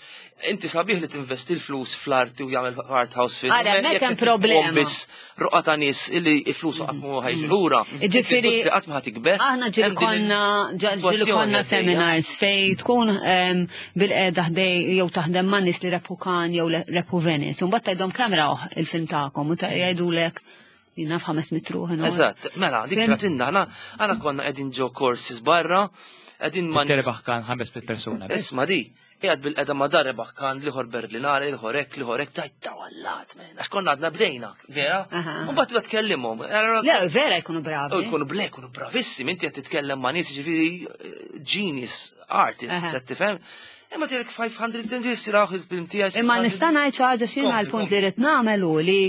inti sabiħ li tinvesti l-flus fl-arti u jagħmel art house film. Ara, hemmhekk Jekk hemm inti problema. tqum Biss roqa ta' nies illi l-flus qatt ma ħajġu lura. Ġifieri, Industrija qatt ma ħa tikber. Aħna ġieli Hemm din konna ġieli il-sitwazzjoni konna għaddejja. seminars fej tkun bil-qeda ħdej jew taħdem ma' nies li rebħu Cannes jew rebħu Venice. U mbagħad tgħidhom kemm rawh il-film tagħkom u jgħidulek jiena f'500 ruħ. Eżatt, mela, dik Fim? ratinna, aħna konna qegħdin ġo courses barra, qegħdin ma' nies. Terbaħ Cannes 500 persuna. Isma di, Qiegħed bil-qeda ma dar rebaħ kan liħor Berlinale, liħor hekk, liħor hekk, tajt ta' wallat, men. Għax konna għadna bdejna, vera? U mbagħad tibda tkellimhom. Le, vera jkunu bravi. Jkunu ble, jkunu bravissimi, inti qed titkellem ma' nies ġifieri genius artists, qed tifhem. Imma tgħidlek 500 nies jiraw il-film tiegħi. Imma nista' ngħid xi ħaġa xi l-punt li rrid nagħmel hu li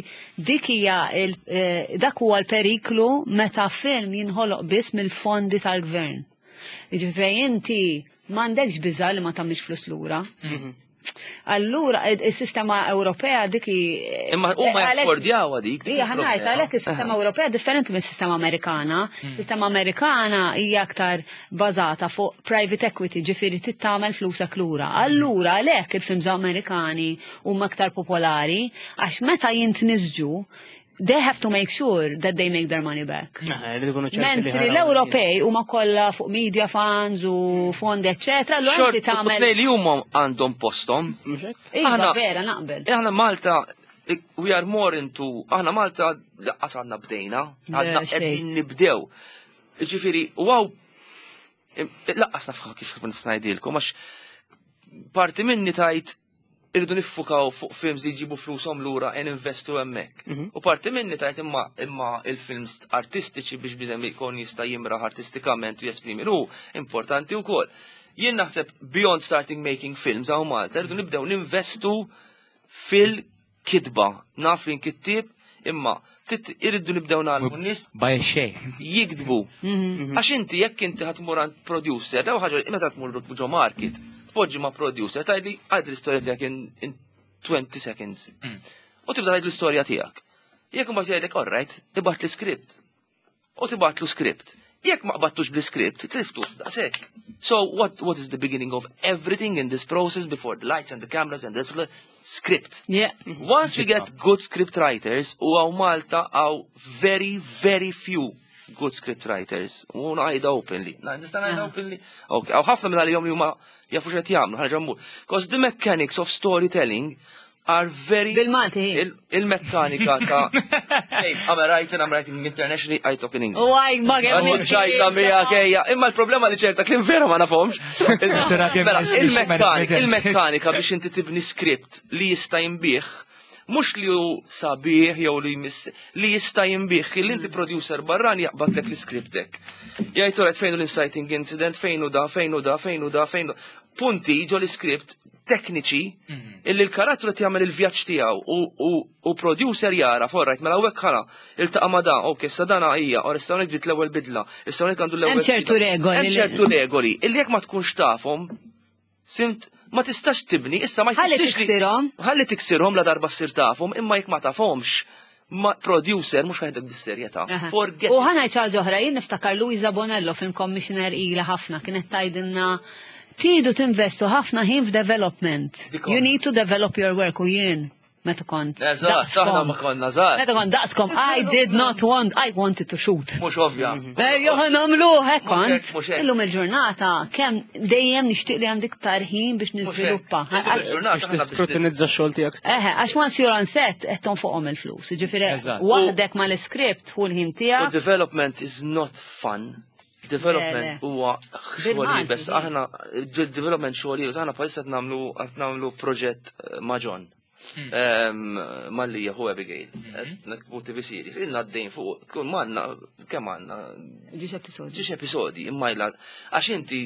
dik hija dak huwa l-periklu meta film jinħoloq biss mill-fondi tal-gvern. Jiġifieri inti m'għandekx biża' li ma tagħmilx flus lura. Allura, is-sistema Ewropea dik Imma huma jaffordjawha dik. Hija ħa ngħid għalhekk is-sistema Ewropea differenti mis-sistema Amerikana. Sistema Amerikana hija aktar bażata fuq private equity, ġifieri trid tagħmel flusek lura. Allura għalhekk il-films Amerikani huma aktar popolari għax meta jintnisġu they have to make sure that they make their money back. Mentri l-Ewropej huma kollha fuq media funds u fondi eccetera, l inti tagħmel. li huma għandhom posthom. Iva, vera naqbel. Aħna Malta we are more into aħna Malta laqqas għandna bdejna, għadna qegħdin nibdew. Ġifieri, wow, laqqas nafha kif ngħidilkom għax parti minni tajt irridu niffukaw fuq films li jġibu flushom lura e ninvestu hemmhekk. U parti minni tajt imma il-films artistiċi biex bidem ikun jista' jimraħ artistikament u jesprimi ru importanti wkoll. Jien naħseb beyond starting making films hawn Malta irridu nibdew ninvestu fil-kitba. Naf li nkittib imma ftit irridu nibdew nagħmlu n-nies Baj xejn. jiktbu. Għax inti jekk inti ħa tmur għand producer, daw ħaġa meta tmur ġo market, tpoġġi ma' producer, tgħidli għid l-istorja tiegħek in 20 seconds. U tibda tgħid l-istorja tiegħek. Jekk imbagħad jgħidlek all right, ibgħat l-script. U tibgħatlu script. Jekk ma qbattux bl-script, tliftu, daqshekk. So what is the beginning of everything in this process before the lights and the cameras and the script? Once we get good script writers, u hawn Malta hawn very, very few good script writers. U ngħidha openly. Nista' ngħidha openly? Okay, hawn ħafna minn għalihom li huma jafu x'qed jagħmlu, ħaġa mmur. Because the mechanics of storytelling are very Bil-Malti. Il-mekkanika ta' Hey, I'm a writer, I'm writing internationally, I talk in English. U għaj, ma ċajta miegħek ejja, imma l-problema li ċerta kliem vera ma nafhomx. Mela, il-mekkanika biex inti tibni script li jista' jinbih, mhux li hu sabiħ jew li jmiss, li jista' jinbih, li inti producer barran jaqbadlek l-scriptek. Jgħid toret fejn hu l-inciting incident, fejn hu da, fejn hu da, fejn hu da, fejn hu. Punti ġo l-script tekniċi illi l-karattru qed jagħmel il-vjaġġ tiegħu u producer jara forrajt mela hawnhekk ħara iltaqa' ma' da, ok, issa dana hija, or issa hawnhekk bdiet l-ewwel bidla, issa hawnhekk għandu l-ewwel. Hemm ċertu regoli. Hemm ċertu regoli illi jekk ma tkunx tafhom, simt ma tistax tibni, issa ma Ħalli jfissirx li. tiksirhom. Ħalli tiksirhom la darba ssir tafhom, imma jekk ma tafhomx, ma producer mhux ħajdek bis-serjetà. Forget. U ħa ngħid ħaġa oħra, jien niftakar Luisa Bonello film commissioner ila ħafna kienet tgħidilna tridu tinvestu ħafna ħin f'development. You need to develop your work u jien meta kont. Eżatt, aħna ma konna żgħar. Meta kont daqskom, I did not want, I wanted to shoot. Mhux ovvja. Ejja, ħa nagħmlu hekk kont. Illum il-ġurnata kemm dejjem nixtieq li għandi iktar ħin biex niżviluppa. Biex tiskrutinizza x-xogħol tiegħek. Eħe, għax once you're on set qed tonfoqhom il-flus. Jiġifieri waħdek mal-iskript hu l-ħin tiegħek. Development is not fun. Development huwa xogħol iebes. Aħna development xogħol iebes, aħna bħalissa qed nagħmlu qed nagħmlu proġett ma' John. Mallia hu Abigail. Naktbu TV series. Ilna għaddejn fuq, kun manna, kemm għandna? Ġiex episodi. Ġiex episodi, imma ila, għax inti.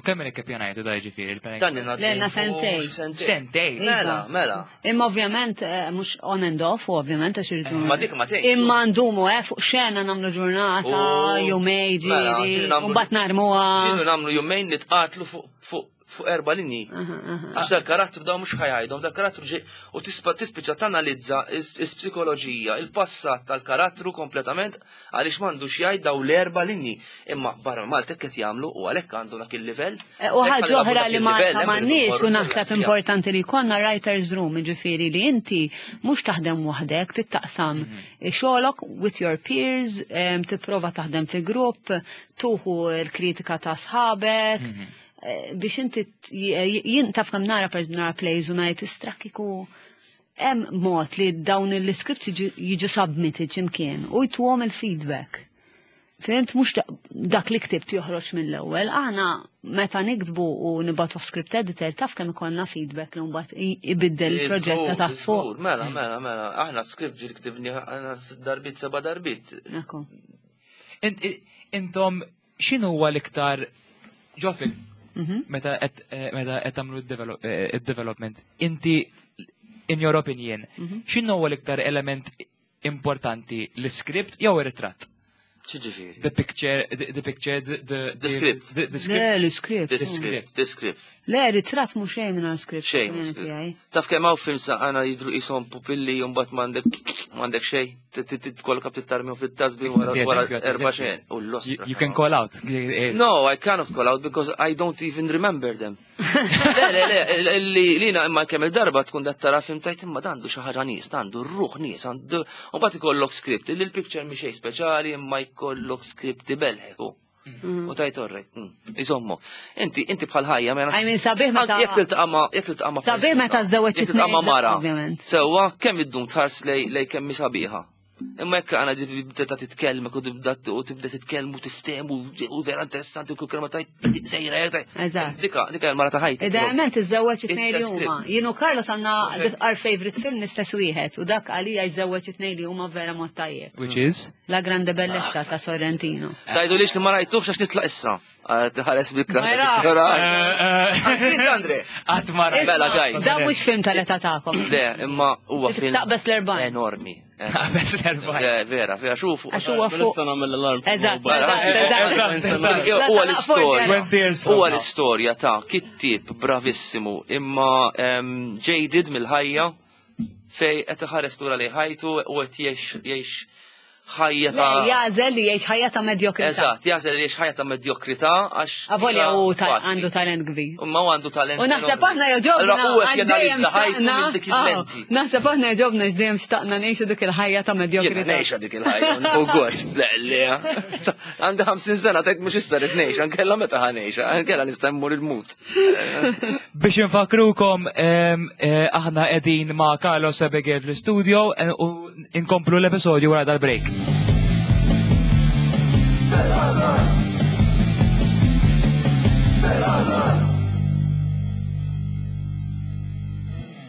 U kemm ilek ippjanajtu da ġifieri? Dan ilna għaddejn. Lejna sentej. Sentej. Mela, mela. Imma ovvjament, mhux on and off, u ovvjament għax irridu. Ma dik ma tgħidx. Imma ndumu, fuq xena nagħmlu ġurnata, jumej ġieli, u mbagħad narmuha. Ġieli nagħmlu jumejn nitqatlu fuq fuq erba' linji. Għax dal-karattru daw mhux ħajajdhom, dal-karattru ġej u tispiċċa tanalizza is-psikoloġija, il-passat tal-karattru kompletament għaliex m'għandux jgħid daw l-erba' linji. Imma barra Malta hekk qed jagħmlu u għalhekk għandu dak il-livell. U ħaġa oħra li Malta m'għandniex u naħseb importanti li jkollna writer's room, jiġifieri li inti mhux taħdem waħdek, trid taqsam xogħolok with your peers, tipprova taħdem fi grupp, tuħu l-kritika ta' sħabek. Biex inti jien taf kemm nara per nara plays u ngħid istrakkiku hemm mod li dawn l-scripts jiġu submitted x'imkien u jtuhom il-feedback. Fhimt mhux dak li ktibt joħroġ mill-ewwel, aħna meta niktbu u nibgħatu script editor taf kemm ikollna feedback li mbagħad ibiddel il-proġett ta' taħt fuq. Mela, mela, mela, aħna script ġil ktibni aħna darbit seba' darbit. Intom x'inhu huwa l-iktar ġo film mhm. meta qed eh, meta qed tagħmlu id-development, eh, inti in your opinion, mhm. x'inhu huwa l-iktar element importanti l-iskript jew ir-ritratt? Ċiġifieri? The picture, the picture, the, the script. The script. Le, l-script. The script, the script. Le, ritratt mhux xejn minn script. Xejn. Taf kemm hawn films għana jidru qishom pupilli u mbagħad m'għandek m'għandek xejn, tkollok tittarmihom fit-tasbi wara erba' xejn. U l-ostra. You can call out. No, I cannot call out because I don't even remember them. Le, le, le, li lina imma kemm il-darba tkun dat tara film tajt imma dandu xi ħaġa nies, dandu r-ruħ nies, għandu u mbagħad ikollok script li l-picture mhi xejn speċjali imma jkollok script ibelħek. Mm. U tajt orrejt, mm, iżommok. Inti, inti bħal ħajja, mela. I mean, sabiħ meta. Jekk tiltaqa' ma' jekk tiltaqa' ma' Sabiħ meta żewġ Jekk tiltaqa' ma' mara. Sewwa kemm iddum tħares lej kemm sabiħa. Imma jekk għana tibda titkellmek u tibda u tibda titkellmu tiftehmu u vera interessanti u kull kelma tajt sejra jekk Eżatt. Dika, dika l-mara ta' ħajti. Idealment iżżewweġ it-tnejn li huma. Jien u Carlos għandna our favorite film l-istess wieħed u dak għalija jżewweġ it-tnejn li huma vera mod tajjeb. Which is? La Grande Bellezza ta' Sorrentino. Tajdu lix li ma rajtuhx għax nitlaq issa. Tħares bil-kra. Andre. Qatt ma Mela, guys. Da mhux film tal-età tagħkom. Le, imma huwa film. Taqbes l-erbajn. Enormi. Taqbes l-erbajn. Le, vera, vera, xufu. Għax huwa fuq. Nista' nagħmel l-alarm. Eżatt. Huwa l-istorja. Huwa l-istorja ta' kittib bravissimu imma jaded mill-ħajja fej qed iħares lura lejn ħajtu u qed jgħix ħajja ta' Jażel li jgħix ħajja ta' medjokrità. Eżatt, jażel li jgħix ħajja ta' medjokrità għax. Avolja u għandu talent kbir. Imma u għandu talent. U naħseb aħna joġobna. Allura u qed janalizza ħajtu minn dik ah, il-lenti. Naħseb aħna joġobna x'dejjem xtaqna ngħixu dik il-ħajja ta' medjokrità. Jiena ngħixha dik il-ħajja, u gost, le, le. Għandi 50 sena tajt mhux issa rid ngħix, ankella meta ħa ngħixha, ankella nista' mmur il-mut. Biex infakrukom, eh, aħna qegħdin ma' Carlos Abigail fl-istudio eh, u inkomplu l-episodju wara dal-break.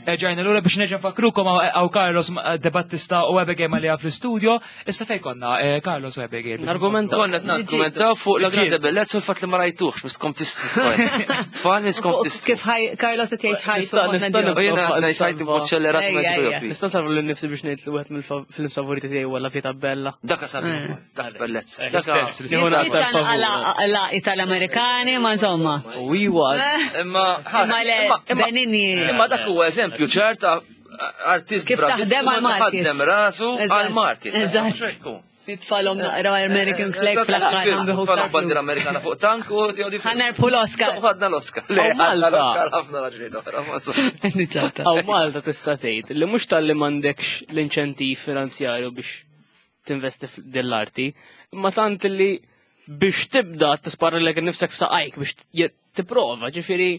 Erġajna lura biex nerġa' nfakrukom hawn Carlos De Battista u Abigail Mallia fl-istudio. Issa fejn konna, eh, Carlos u Abigail? Argumentaw. Konna qed nargumentaw fuq la grande bellezza u l-fatt li ma rajtuhx, miskom tistru. Tfal miskom tistru. Kif ħaj Carlos qed jgħix ħajtu. Nista' nista' U jiena ngħix ħajti b'mod ċellerat Ejja, ejja. Nista' nsalvu lil nifsi biex ngħid li wieħed mill-film favoriti tiegħi huwa La Vita Bella. Dak sabiħ, dak bellezza. Eh, Dak l-istess, l-istess. Nieħu naqta' Laqi tal-Amerikani, ma insomma. U iwa, Imma Imma le, Benigni. Imma dak huwa eżempju ċar ta' artist Kif taħdem għal-market. Ħaddem rasu Eżatt. għal-market. Eżatt. Nitfalhom naqra American flag fl-aħħar għambiħu Tfalhom bandiera Amerikana fuq tank u tiegħu Ħanerbħu l-Oscar. U ħadna l-Oscar. Le, Aw, ħadna Malta. l-Oscar ħafna raġunijiet oħra. ma insomma. Niċċata. Aw Malta tista' tgħid li mhux talli m'għandekx l-inċentiv finanzjarju biex tinvesti f'din-l-arti, imma tant li biex tibda tispara lek nifsek f'saqajk biex tipprova, ġifieri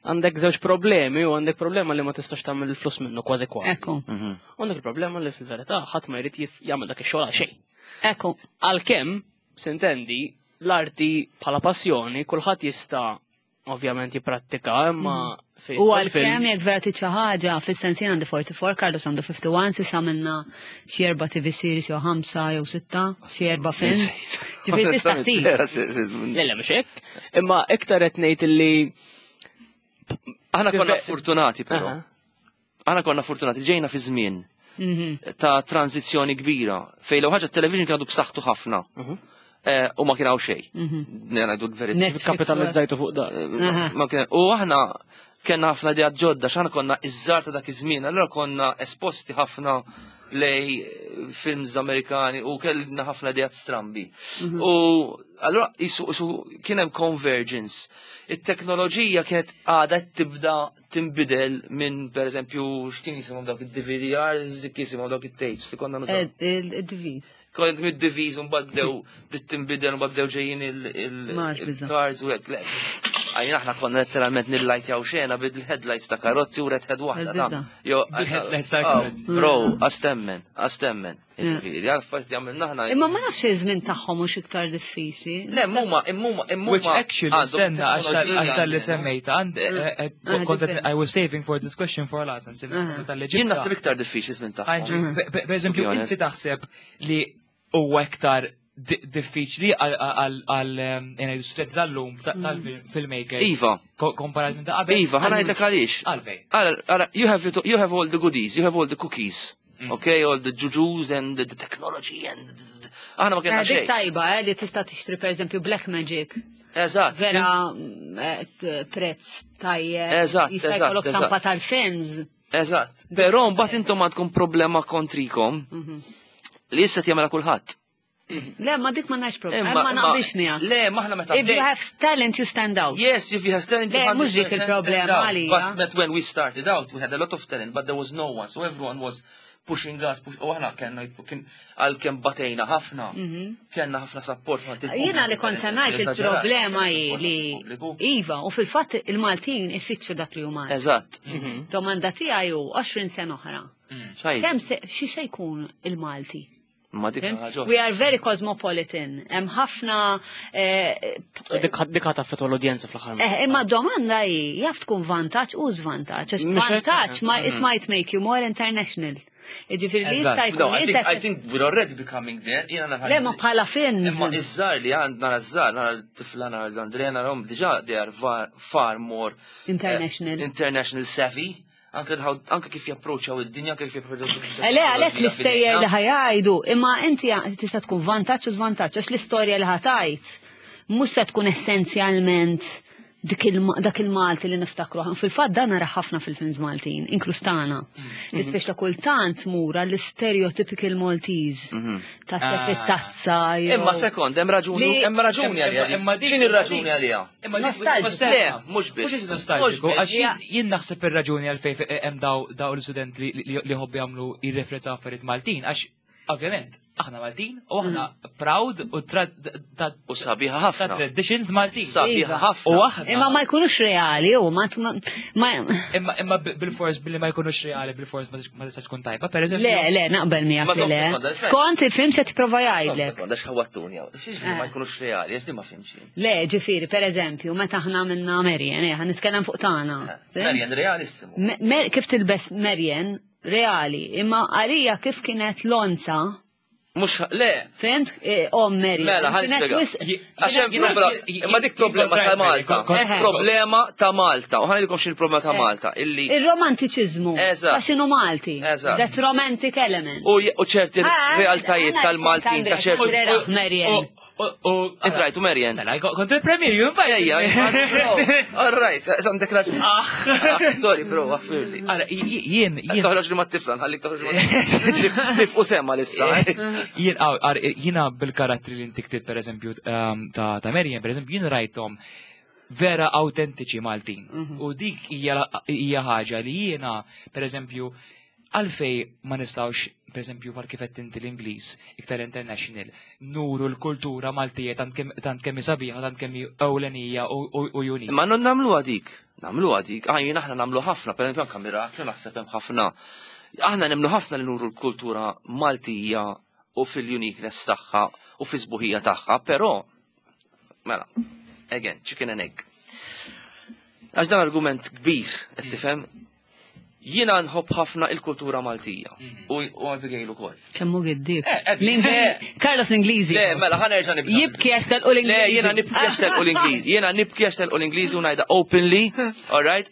għandek żewġ problemi u għandek problema li ma tistax tagħmel il-flus minnu kważi kważi. Ekku, U Għandek il-problema li fil-verità ħadd ma jrid jagħmel dak ix-xogħol għal xejn. ekku. Għalkemm, sintendi, l-arti bħala passjoni kulħadd jista' ovvjament jipprattika, imma fejn U jidħol għalkemm film- jekk vera trid xi ħaġa, fis-sens jien għandi 44, Carlos għandu 51, s'issa għamilna xi erba' TV series jew ħamsa jew sitta, xi erba' films. Ġifieri tista' ssir. Vera, se- se- Le, le, mhux hekk. Imma iktar qed ngħid illi Aħna konna fortunati però. Aha. Aħna konna fortunati, ġejna fi żmien Mhm. ta' tranzizzjoni kbira fejn l ħaġa t-television kien għadu b'saħħtu ħafna. Eh, U ma kien hawn xejn. Ngħidu l-verità. Netflix. kapitalizzajtu fuq dan. Aha. Ma kien- U aħna kellna ħafna idea ġodda, x'aħna konna iż-żar ta' dak iż-żmien, allura konna esposti ħafna lej films Amerikani u kellna ħafna ideat strambi. U allura isu, isu kien hemm convergence. It-teknoloġija kienet għadha tibda tinbidel minn pereżempju x'kien jisimhom dawk id-DVDRs, kien jisimhom dawk it-tapes li konna nużaw. Il-diviż. Kont mid-diviż u mbagħad bdew bdiet tinbidel u mbagħad bdew ġejjin Ma nafx biża'. il-cars u hekk. Le. Għajna aħna konna letteralment nillajtjaw xena bil-headlights ta' karozzi u red head waħda ta' Jo, Bil-headlights ta' oh, karozzi. Bro, astemmen, astemmen. Jiġifieri, għal affarijiet li għamilna aħna. Imma ma nafx iż-żmien tagħhom mhux iktar diffiċli. Le, muma, immuma, immuma. Which actually, stenna, għax tal-li semmejta, għand, kont different. I was saving for this question for last, tal-li Jien naħseb iktar diffiċli żmien tagħhom. Per eżempju, To be honest. inti taħseb li huwa iktar diffiċli għal studenti tal-lum tal-filmmakers. Iva. Komparat minn ta' qabel. Iva, ħa ngħidlek għaliex. Għalfej. Ara, you have all the goodies, you have all the cookies. Okay, all the jujus and the technology and aħna ma kellna Dik xejn. tajba, li tista' tixtri per eżempju Black Magic. Eżatt. Vera prezz tajjeb. Eżatt, Jista' eżatt, jkollok eżatt. stampa tal-films. Eżatt. Però mbagħad intom għandkom problema kontrikom li issa jagħmilha kulħadd. Le, ma dik ma nafx problema. Ma naqbilx miegħek. Le, ma aħna meta If you have talent, you stand out. Yes, if you have talent, you Le, mhux dik 100% il-problema stand out. għalija. But when we started out, we had a lot of talent, but there was no one, so everyone was pushing us, push, u aħna kellna kien għalkemm batejna ħafna, kellna ħafna support. ma Mhm. Jiena li kont se ngħid il-problema hi li Iva, u fil-fatt il-Maltin ifittxu dak li huma. Eżatt. Domanda tiegħi hu 20 sena oħra. Xajn, Kemm se xi se jkun il-Malti? ma dik ħaġa. We are very cosmopolitan. Hemm ħafna Dik ħa taffettwa l-udjenza fl-aħħar. Imma domanda hi jaf tkun vantaġġ u żvantaġġ. Għax Mhux hekk, vantaġġ ma it might make you more international. Jiġifieri li jista' Eżatt. jkun No, I think, I inta think we're already becoming there. Jiena nara- Le ma bħala films. Imma iż-żgħar li għandna iż-żgħar, nara l-tifla, nara l-Andrea, narahom diġà they are far, far more International. international savvy. Anke anke kif japproċċjaw id-dinja, anke kif japproċċjaw Le, għalek l-istejjer li ħa jgħidu, imma inti tista' tkun vantaġġ u żvantaġġ, għax l-istorja li ħa tgħid mhux se tkun essenzjalment dak il-Malti li niftakru. Fil-fatt dan nara ħafna fil-films Maltin, inkluż tagħna. Li ta' kultant mura l-stereotypical Maltese ta' tef tazza Imma sekond, hemm raġuni, hemm raġuni għalija. Imma dik- X'inhi r-raġuni għalija? Imma dik- Nostalgiku. Le, mhux biss. Mhux nostalgiku, Mhux għax biss. jien naħseb ir-raġuni għalfejn hemm daw l-student li ħobbi jagħmlu jirreferenza affarijiet Maltin, għax ovvjament aħna Maltin u aħna proud u ta' U sabiħa ta' ħafna. traditions Maltin. Sabiħa Iva. ħafna. U aħna Imma ma jkunux reali u ma imma bil-fors billi ma jkunux reali bil-fors ma tistax tkun tajba, per eżempju. Le, le, naqbel Ma miegħek li żomm le. sekonda, sai. Skont il-film se tipprova jgħidlek. Sekonda, x'ħawattuni hawn. X'jiġifieri ma jkunux reali, għax di ma fhimx jien. Le, ġifieri, per eżempju, meta aħna minna Marian, ħa nitkellem fuq tagħna. Marian realissimu. Kif tilbes Marian, reali, imma għalija kif kienet lonza, Mhux le, fimt? Om Marian. Mela, ħa Kienet nispjega. Għax hemm problema, imma dik problema ta' Malta. Problema ta' Malta. U ħa ngħidilkom x'inhi problema ta' Malta. Illi Il-romantiċizmu. Eżatt. Ta' x'inhu Malti. Eżatt. That romantic element. u ċerti realtajiet tal-Maltin ta' ċerti. ċerti. Marian. Int rajtu Marian? Mela, kont il-premier, ju Ejja, ejja, all right, għandek raġun. Ah. Sorry, bro, għaffirli. Ara, jien, jien, Toħroġ li ma tifla, nħallik toħroġ li ma Nifqu semma lissa. jien, jiena bil-karattri li inti ktibt, per eżempju, ta' Marian, per eżempju, jien rajthom vera autentiċi Maltin. U dik hija ħaġa li jiena, per eżempju, għalfej ma nistawx, per eżempju, par kif qed inti l-Ingliż, iktar international, nuru l-kultura Maltija tant kemm hi sabiħa, tant kemm hi ewlenija u unique. Ma non nagħmlu għadik, nagħmlu għadik, jien aħna nagħmlu ħafna, per eżempju anka Miraklu naħseb hemm ħafna. Aħna nemmnu ħafna li nuru l-kultura Maltija u fil-uniqueness tagħha u fis-sbuħija tagħha, però mela, again, chicken and egg. Għax dan argument kbir, qed tifhem? Jiena nħobb ħafna il-kultura Maltija u Abigail ukoll. Kemmu giddib. Eh, Carlos l-Ingliżi. Le, mela, ħa nerġa' nibda. Jibki għax telqu l-Ingliżi. Le, jiena nibki għax telqu l-Ingliżi. Jiena nibki għax telqu l-Ingliżi u ngħidha openly, all right?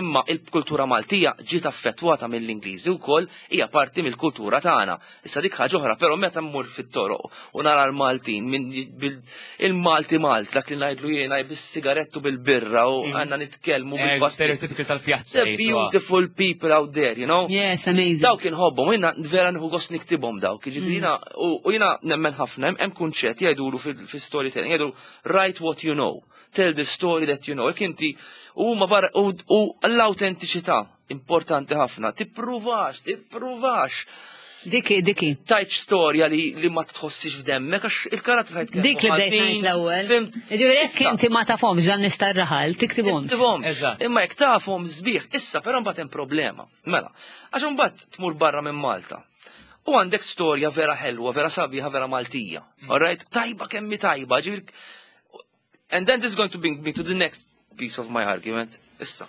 Imma il-kultura Maltija ġiet affettwata mill-Ingliżi wkoll hija parti mill-kultura tagħna. Issa dik ħaġa oħra, però meta mmur fit-toroq u nara l-Maltin minn il-Malti Malt, dak li ngħidlu jiena bis-sigarettu bil-birra u għandna nitkellmu bil-pastizzi. Stereotypical tal-pjazza. The beautiful people out there, you know? Yes, amazing. Dawk inħobbhom, jiena vera nieħu gost niktibhom dawk, jiġifieri jiena u jiena nemmen ħafna hemm kunċett jgħidulu fil-storytelling, jgħidu write what you know, tell the story that you know. Jekk inti huma barra u l-awtentiċità importanti ħafna, tippruvax, tippruvax. Diki, diki. Tajt storja li, li ma tħossix f'demmek, għax il-karattri ħajt Dik li bdejt ngħid l-ewwel. Fimt? Ġifieri jekk inti ma tafhomx dan nista' raħal, tiktibhomx. Tiktibhomx. Eżatt. Imma jekk tafhom sbieħ, issa però mbagħad hemm problema. Mela, għax imbagħad tmur barra minn Malta. U għandek storja vera ħelwa, vera sabiħa, vera Maltija. All right? Tajba kemmi tajba, ġifieri And then this is going to bring me to the next piece of my argument. Issa,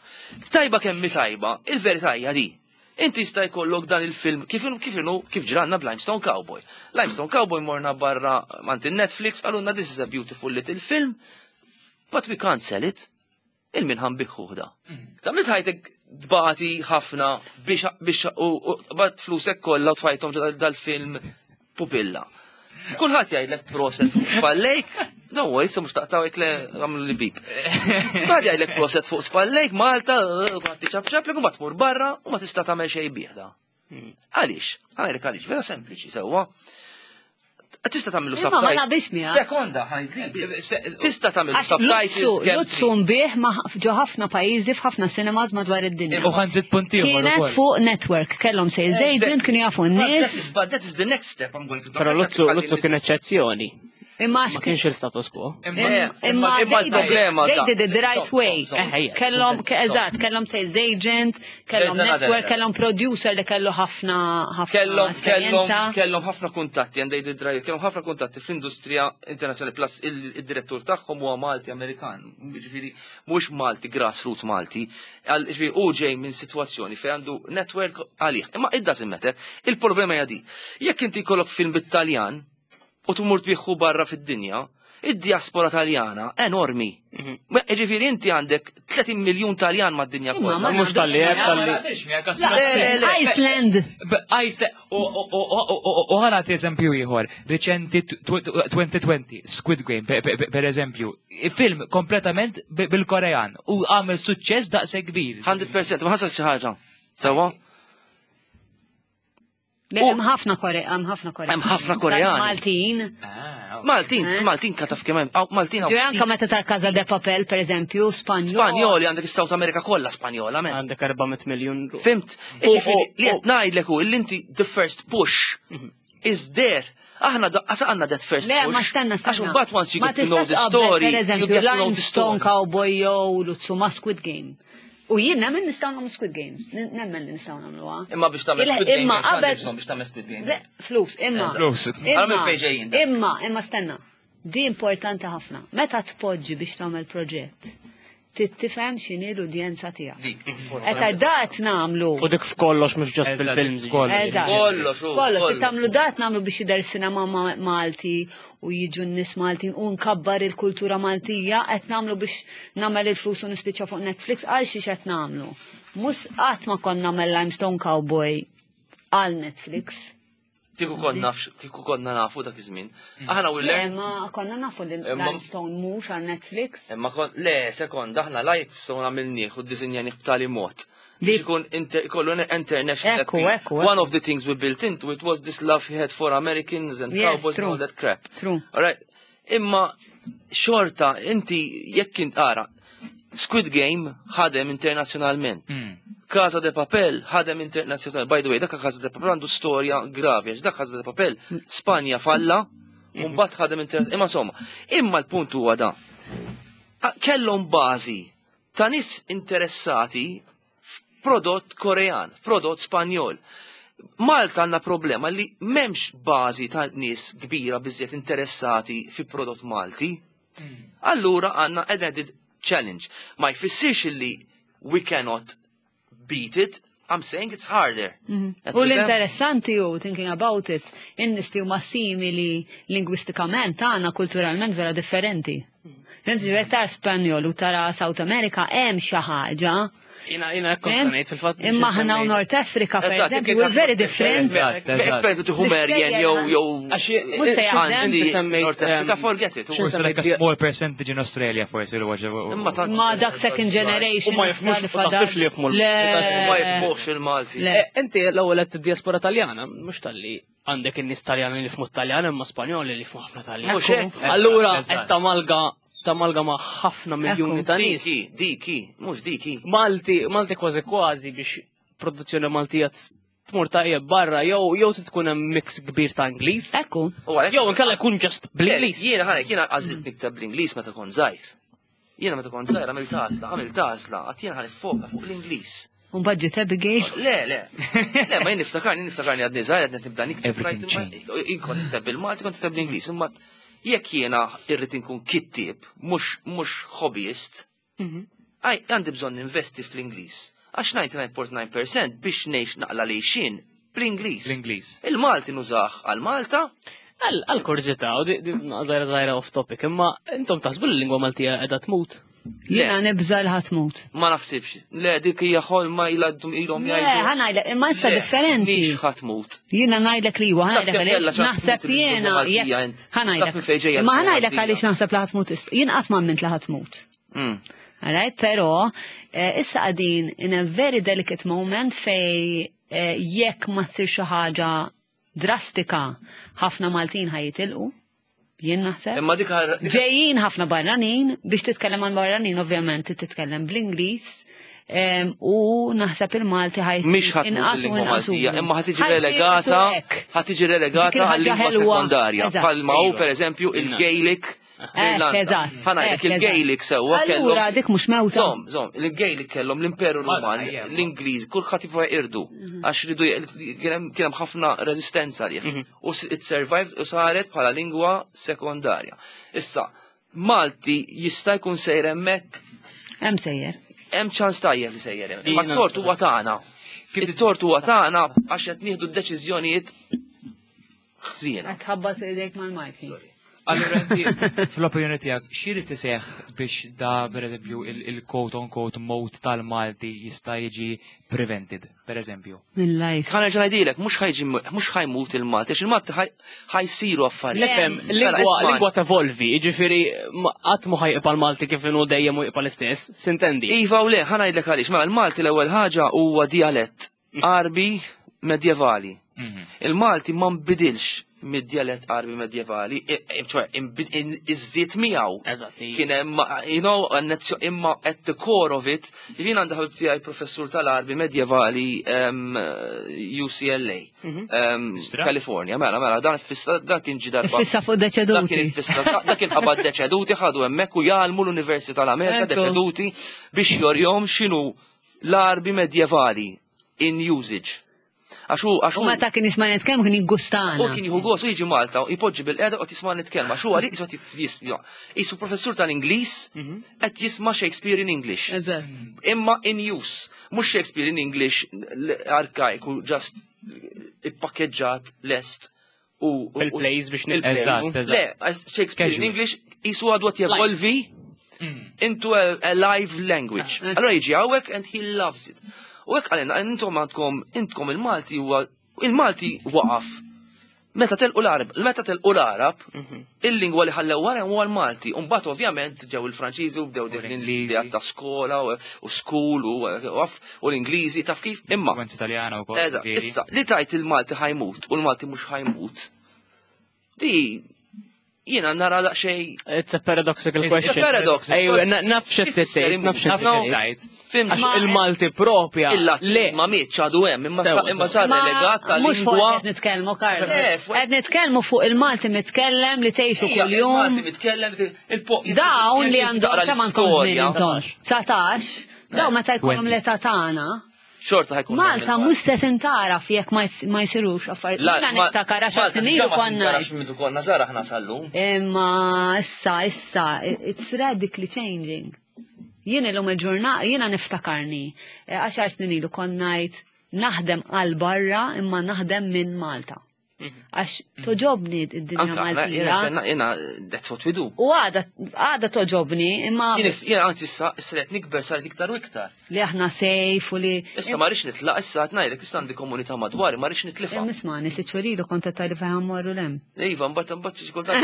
tajba kemmi tajba, il-verità hija di. Inti jista' jkollok dan il-film kif inhu kif inhu kif ġranna b'Limestone Cowboy. Limestone Cowboy morna barra mant il-Netflix qalulna this is a beautiful little film, but we can't sell it. Il-min ħan biħħuħda. Ta' mit ħajtek dbati ħafna biex biex u bat flusek kollha u tfajthom ġo dal-film pupilla. Kulħadd jgħidlek proset fuq spallejk, no, issa mhux taqtaw hekk le għamlu li bik. Kulħadd jgħidlek proset fuq spallejk, Malta, kulħadd iċapċaplek u ma tmur barra u ma tista' tagħmel xejn bih da. Għaliex? Għalek għaliex, vera sempliċi sewwa. Tista' tagħmlu Imma ma naqbilx miegħek. Sekonda, ħajdli. Tista' tagħmlu Għax subtitles. Luzzu, kemm Luzzu nbih ma' ġo ħafna pajjiżi f'ħafna cinemas madwar id-dinja. U ħanżid punt ieħor Kienet ukoll. fuq network, kellhom sales agent, kienu jafu But that n-nies. is- But that is the next step I'm going to Però Luzzu, Luzzu kien eċċezzjoni. Imma Ma kienx il-status quo. Eh, Imma imma they did- il-problema they da- did it the right Stop, way. stop, stop. Eh, ejja. Kellhom, eżatt, kellhom sales agent, kellhom There's another network, element. kellhom producer li kellu ħafna ħafna Kellhom kellhom esperjenza. kellhom ħafna kuntatti and they did right, kellhom ħafna kuntatti fl-industrija internazzjonali plus il-direttur tagħhom huwa Malti Amerikan, ġifieri mhux Malti grassroots Malti, ġifieri hu ġej minn sitwazzjoni fejn għandu network għalih. Imma it doesn't matter, il-problema hija di. Jekk inti jkollok film bit-Taljan u tmur tbieħu barra fid-dinja, id-diaspora Taljana enormi. Ma Ġifieri inti għandek 30 miljun Taljan mad-dinja Imma kollha. ma Mhux tal-li naqbilx hekk, miegħek. tal-li. Le, le, le. Iceland. U ħana eżempju ieħor, riċenti 2020, Squid Game, per eżempju, film kompletament bil-Korean u għamel suċċess daqse kbir. 100% ma ħasal xi ħaġa. Sewwa? Le, Hemm ħafna Kore, hemm ħafna Koreani. Hemm ħafna Koreani. Maltin. Maltin, Eh? Maltin kataf kemm hemm, aw, Maltin Ġifieri anke meta tar Casa de Papel, per eżempju, Spanjol. Spanjoli għandek is-South America kollha Spanjola, men. Għandek 400 miljun ruħ. Fimt? U- Ġifieri, u- Li qed ngħidlek hu li inti the first push is there. Aħna daqqas għandna that first Le, push. ma stenna, stenna. Għax imbagħad once you Ma get to know the tistax qabel, story, Per you eżempju, get to know the Limestone story. Cowboy jew Luzzu ma' Squid Game. U jien nemmen nistgħu nagħmlu Squid Games. Nemmen li nistgħu nagħmluha. Imma biex tagħmel Il- Squid Game, Imma għandek qabel. bżonn biex tagħmel Squid Game. Le, Flus, imma. Flus. Għal minn fejn ġejjin da. Imma, imma stenna. Di importanti ħafna. Meta tpoġġi biex tagħmel proġett, trid tifhem x'inhi l-udjenza tiegħek. Dik. Eta dat nagħmlu. U dik f'kollox mhux ġast Eżatt, fil-films. f'kollox. Eżatt. Kollox, u, Kollox, kollox. tagħmlu dat nagħmlu biex jidher sinema Malti u jiġu n-nies Maltin u nkabbar il-kultura Maltija qed nagħmlu biex nagħmel il-flus u nispiċċa fuq Netflix għal xiex qed nagħmlu. Mhux qatt ma konna nagħmel Limestone Cowboy għal Netflix. Kieku konna kieku konna nafu dak iż-żmien. Aħna we Le, learned ma konna nafu li Imma- Limestone mhux għal Netflix. Imma kon, le, sekond, aħna live so għamilnieh u ddisinjanih b'tali mod. Li- Biex ikun inter, kollu international. Ekku, appeal. ekku, One ekku. of the things we built into it was this love he had for Americans and Yes, cowboys and true. all that crap. True. Alright, imma xorta, inti jekk int ara, Squid Game ħadem internazzjonalment. Casa de Papel ħadem internazzjonalment. By the way, dak Casa de Papel għandu storja gravi, għax dak Casa de Papel Spanja falla, u mbagħad ħadem internazzjonalment. Imma insomma, imma l-punt huwa da. Kellhom bażi ta' nies interessati f'prodott Korean, prodott Spanjol. Malta għandna problema li m'hemmx bażi ta' nies kbira biżjed interessati fi prodott Malti. Allura għandna an added challenge. Ma jfissirx li we cannot beat it, I'm saying it's harder. Qed U nifhem? l-interessanti u thinking about it, in-nies li huma simili lingwistikament tagħna kulturalment vera differenti. Fhimt ġifieri tara Spanjol u tara South America hemm xi ħaġa. Jina, jina, kont fhimt? ngħid fil-fatt. biex Imma aħna u insemmej- North Africa, per Eżatt, eżempju, jekk we're very inti- different. Eżatt, eżatt. Per eżempju, tieħu Merjen jew jew Għax Mhux se jaħdem. Anġli, Semmejt, North Africa, em, forget it. xi Forsi like a small percentage in Australia forsi l Imma tant- Ma dak second generation. U ma jifhmux- issa li u fadal. taħsibx li jifhmu l- Le. Ma jifhmux il-Malti. Le. Eh, Inti l-ewwel qed diaspora Taljana, mhux talli għandek in-nies Taljani li jifhmu Taljan imma Spanjoli li jifhmu ħafna Taljan. Mhux hekk. Allura Eżatt. qed tamalga tamalga ma' ħafna miljuni ta' nies. Diki, diki, mhux diki. Malti, Malti kważi kważi biex produzzjoni Maltija tmur tajjeb barra jew tkun hemm mix kbir ta' Ingliż. Ekku. Jew inkella jkun just bl-Ingliż. Jiena ħanek, jiena għażilt nikteb bl-Ingliż meta kont żgħir. Jiena meta kont żgħir għamilt għażla, għamilt għażla, għad jiena ħa niffoka fuq l-Ingliż. U mbagħad Abigail? Le, le. Le, ma jien niftakarni, niftakarni għadni żgħir għadni nibda nikteb. Jien kont nikteb bil-Malti, kont nikteb bl-Ingliż, imma jekk jiena irrid inkun kittieb, mhux hobbyist, mhm. għandi bżonn investi fl-Ingliż. Għax 99.9% biex ngħix naqla li xin bl-Ingliż. L-Ingliż. Il-Malti nużah għal Malta. Għal kurżità, u żgħira żgħira off topic, imma intom taħsbu l-lingwa Maltija qiegħda tmut? Jiena nibża li ħatmut. Ma naħsibx. Le, dik hija ħolma ilha ilhom jgħidu. Le, ħa ngħidlek, imma issa differenti. Mhix ħatmut. Jiena ngħidlek li huwa, ħa ngħidlek għaliex naħseb jiena. Ħa ngħidlek. Imma ħa ngħidlek għaliex naħseb li ħatmut issa. Jien qatt ma emmint li ħatmut. Mm. Alright, pero eh, issa qegħdin in a very delicate moment fej eh, jekk ma tsir xi ħaġa drastika ħafna Maltin ħajitilqu. Jien naħseb. Imma dik Ġejjin ħafna barranin biex titkellem għal barranin ovvjament titkellem bl-Ingliż u naħseb il-Malti ħaj. Mhix ħadd inqas u inqas. Imma ħad tiġi relegata, ħad tiġi relegata għal-lingwa sekondarja. Bħalma hu pereżempju il-Gaelic Eh, eżatt. Ħanajlek il-Gaelic sewwa kellhom. Allura dik mhux mewta. Żomm, żomm, il-Gaelic kellhom l-Imperu Ruman, l-Ingliż, kulħadd jipprova jirdu mhm. għax ridu kien hemm ħafna reżistenza lih. Mhm. U it survived u saret bħala lingwa sekondarja. Issa, Malti jista' jkun sejjer hemmhekk. Hemm sejjer. Hemm ċans tajjeb li sejjer hemm. Ma t-tort huwa tagħna. It-tort huwa tagħna għax qed nieħdu d-deċiżjonijiet ħżiena. Qed tħabbat idejk mal-Malti. Allura inti fl-opinjoni tiegħek x'irid iseħħ biex da pereżempju il-quote on quote mode tal-Malti jista' jiġi prevented, pereżempju? Mill-lajt. Ħa nerġa' ngħidilek, mhux ħajġi mhux ħajmut il-Malti, għax il-Malti ħajsiru affarijiet. Nifhem, mela, lingwa lingwa tevolvi, jiġifieri qatt mhu ħajqba' l-Malti kif inhu dejjem u jibqa' l-istess, sintendi. Iva u le, ħa ngħidlek għaliex, mela l-Malti l-ewwel ħaġa huwa dialett. Għarbi medjevali. Mhm. Il-Malti ma nbidilx mid-djalett Għarbi medjevali, ċoħe, iżżid miegħu. Kien hemm, you know, imma at the core of it, jien għandi ħabib tiegħi professur tal-Għarbi medjevali UCLA, mhm. California, mela, mela, dan fissa, dan kien ġi darba. Fissa fuq deċeduti. Dan kien fissa, dan kien qabad deċeduti, ħadu hemmhekk u jgħallmu l-Università tal-Amerika deċeduti biex jorjom x'inhu l-Għarbi medjevali in usage. Għax hu għax hu. Meta kien jisma' nitkellem kien jiggustana. U kien jieħu gost u jiġi Malta u jpoġġi bil-qiegħda u tisma' nitkellem għax hu għalik qisu jisma' qisu professur tal-Ingliż mhm. qed jisma' Shakespeare in English. Imma in use, mhux Shakespeare in English arkaiku just ippakkeġġat lest u il-plays biex Eżatt, Le, Shakespeare in English jisu għadu għat jevolvi mm. into a, a live language. Ah, Allora jiġi għawek and he loves it. U hekk għalina, intom għandkom, intkom il-Malti huwa, il-Malti waqaf. Meta telqu l-Arab, meta telqu l-Arab, mhm. il-lingwa li ħallew wara huwa l-Malti. Mbagħad ovvjament ġew il-Franċiżi u bdew deħlin l ta' skola u school u u l-Ingliżi taf kif imma. Influenza Italjana wkoll. Eżatt, issa li tajt il-Malti ħajmut u l-Malti mhux ħajmut. Di jiena nara daqsxejn. It's a paradoxical question. It's a paradox. Ejju, naf x'qed tgħid, naf x'qed tgħid. Il-Malti propja. Le, ma mietx għadu hemm, imma sar relegat tal Mhux fuq qed nitkellmu, Karl. Qed nitkellmu fuq il-Malti mitkellem li tgħixu kuljum. Il-Malti mitkellem Dawn li għandhom kemm għandkom żmien intom? 19. Daw meta jkollhom l-età tagħna. Xorta ħajkun. Malta mhux se tintaraf jekk ma jsirux affarijiet. Jiena niftakar għaxar snin ilu konna. Malta minn konna żgħar aħna sallum. Imma issa issa it's radically changing. Jien illum il-ġurnata jiena niftakarni eh, għaxar snin ilu konna ngħid naħdem għal barra imma naħdem minn Malta. Mhm. Għax toġobni id-dinja Maltija. Jena, that's what we do. U għada, għada toġobni, imma. Jena, anzi, issa, issa qed nikber saret iktar u iktar. Li aħna sejf u li. Issa ma rridx nitlaq, issa qed ngħidlek, issa għandi komunità madwari, ma rridx nitlifha. Nisma' sitt xhur kont qed tgħidli fejn morru lem. Iva, mbagħad mbagħad xi kultant.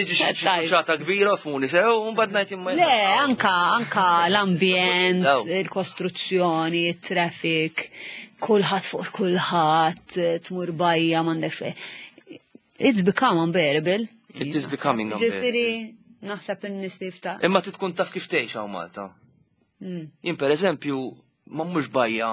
Tiġi xi xata kbira funi sew, u mbagħad ngħid imma. Le, anka anka l-ambjent, il-kostruzzjoni, it-traffic kulħadd fuq kulħadd, tmur bajja m'għandek fejn. It's become unbearable. It is becoming unbearable. Ġifieri naħseb in-nies li jifta. Imma tkun taf kif tgħix hawn Malta. Mm. Jien pereżempju ma mhux bajja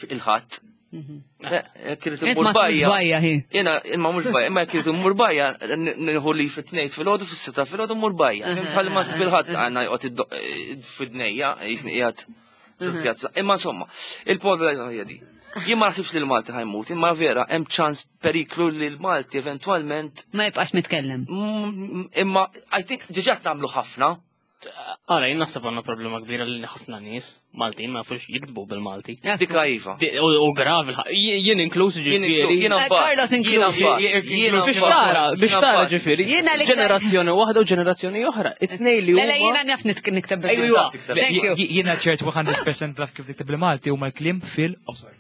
il-ħadd. Jekk irid immur bajja. Bajja hi. Jiena imma mhux bajja, imma jekk irid immur bajja nieħu li fit-tnejn filgħodu fis-sitta filgħodu mmur bajja. Bħal ma bil-ħadd għandna joqgħod fid-dnejja jisni qiegħed fil-pjazza. Imma insomma, il-problema hija di. Jien ma naħsibx li l-Malti ħajmut, imma vera hemm ċans periklu li l-Malti eventwalment Ma jibqax mitkellem. Imma I think diġà tagħmlu ħafna. Ara, jien naħseb għandna problema kbira li ħafna nies Maltin ma jafux jiktbu bil-Malti. Dika iva. U gravi, jien inkluż ġifieri. Jien Carlos inkluż. Biex tara, biex tara ġifieri. Ġenerazzjoni waħda u ġenerazzjoni oħra. It-tnejn li huma. Le, jiena naf nikteb bil-Malti. Jiena ċert 100% naf kif tikteb bil-Malti huma l-kliem fil-qosor.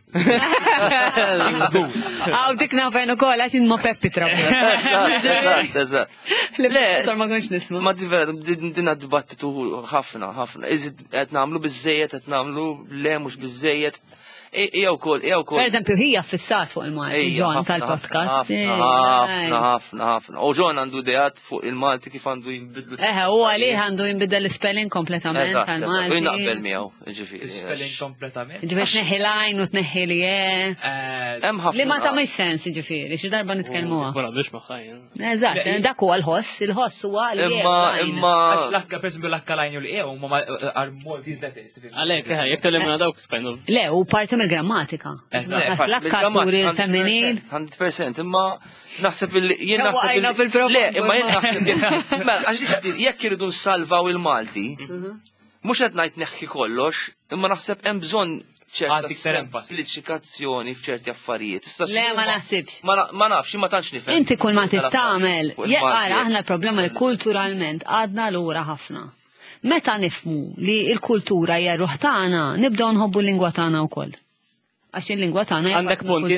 Għaw dik nafen u kol, għax ma Peppi trabu. Eżatt, eżatt. Le, ma konx nisma. Ma di vera, dinna dibattitu ħafna, ħafna. Iżid qed nagħmlu biżejjed, qed nagħmlu le mhux biżejjed. Ija wkoll, ija wkoll. Per eżempju, hija fissat fuq il-Malti, John tal-podcast. Ħafna, ħafna, ħafna. U John għandu ideat fuq il-Malti kif għandu jinbidlu. Eħe, u għalih għandu jinbidel l-spelling kompletament tal-Malti. U naqbel miegħu, ġifieri. Spelling kompletament. Ġifieri tneħħi l-għajn u tneħħi li Hemm ħafna. Li ma ta' sens, ġifieri, xi darba nitkellmuha. Ma naqbilx magħha jien. Eżatt, dak huwa l-ħoss, il-ħoss huwa li. Imma imma. Għax l-akka, per esempio, l-akka l-għajn u l-e huma għal Maltese letters. Għalhekk, jekk telimina dawk kind of. Le, u parti mill-grammatika. L-akka turi l-feminin. 100%, imma naħseb li jien naħseb. Le, imma jien naħseb. Mela, għax jekk iridu nsalvaw il-Malti, mhux qed ngħid neħħi kollox, imma naħseb hemm bżonn ċerta semplifikazzjoni f'ċerti affarijiet. Le, ma naħsibx. Ma nafx, ma tantx nifhem. Inti kull ma tittamel, ara aħna l-problema li kulturalment għadna lura ħafna. Meta nifmu li l-kultura hija ruħ tagħna, nibdew nħobbu l-lingwa tagħna wkoll. Għax il-lingwa tagħna Għandek punt,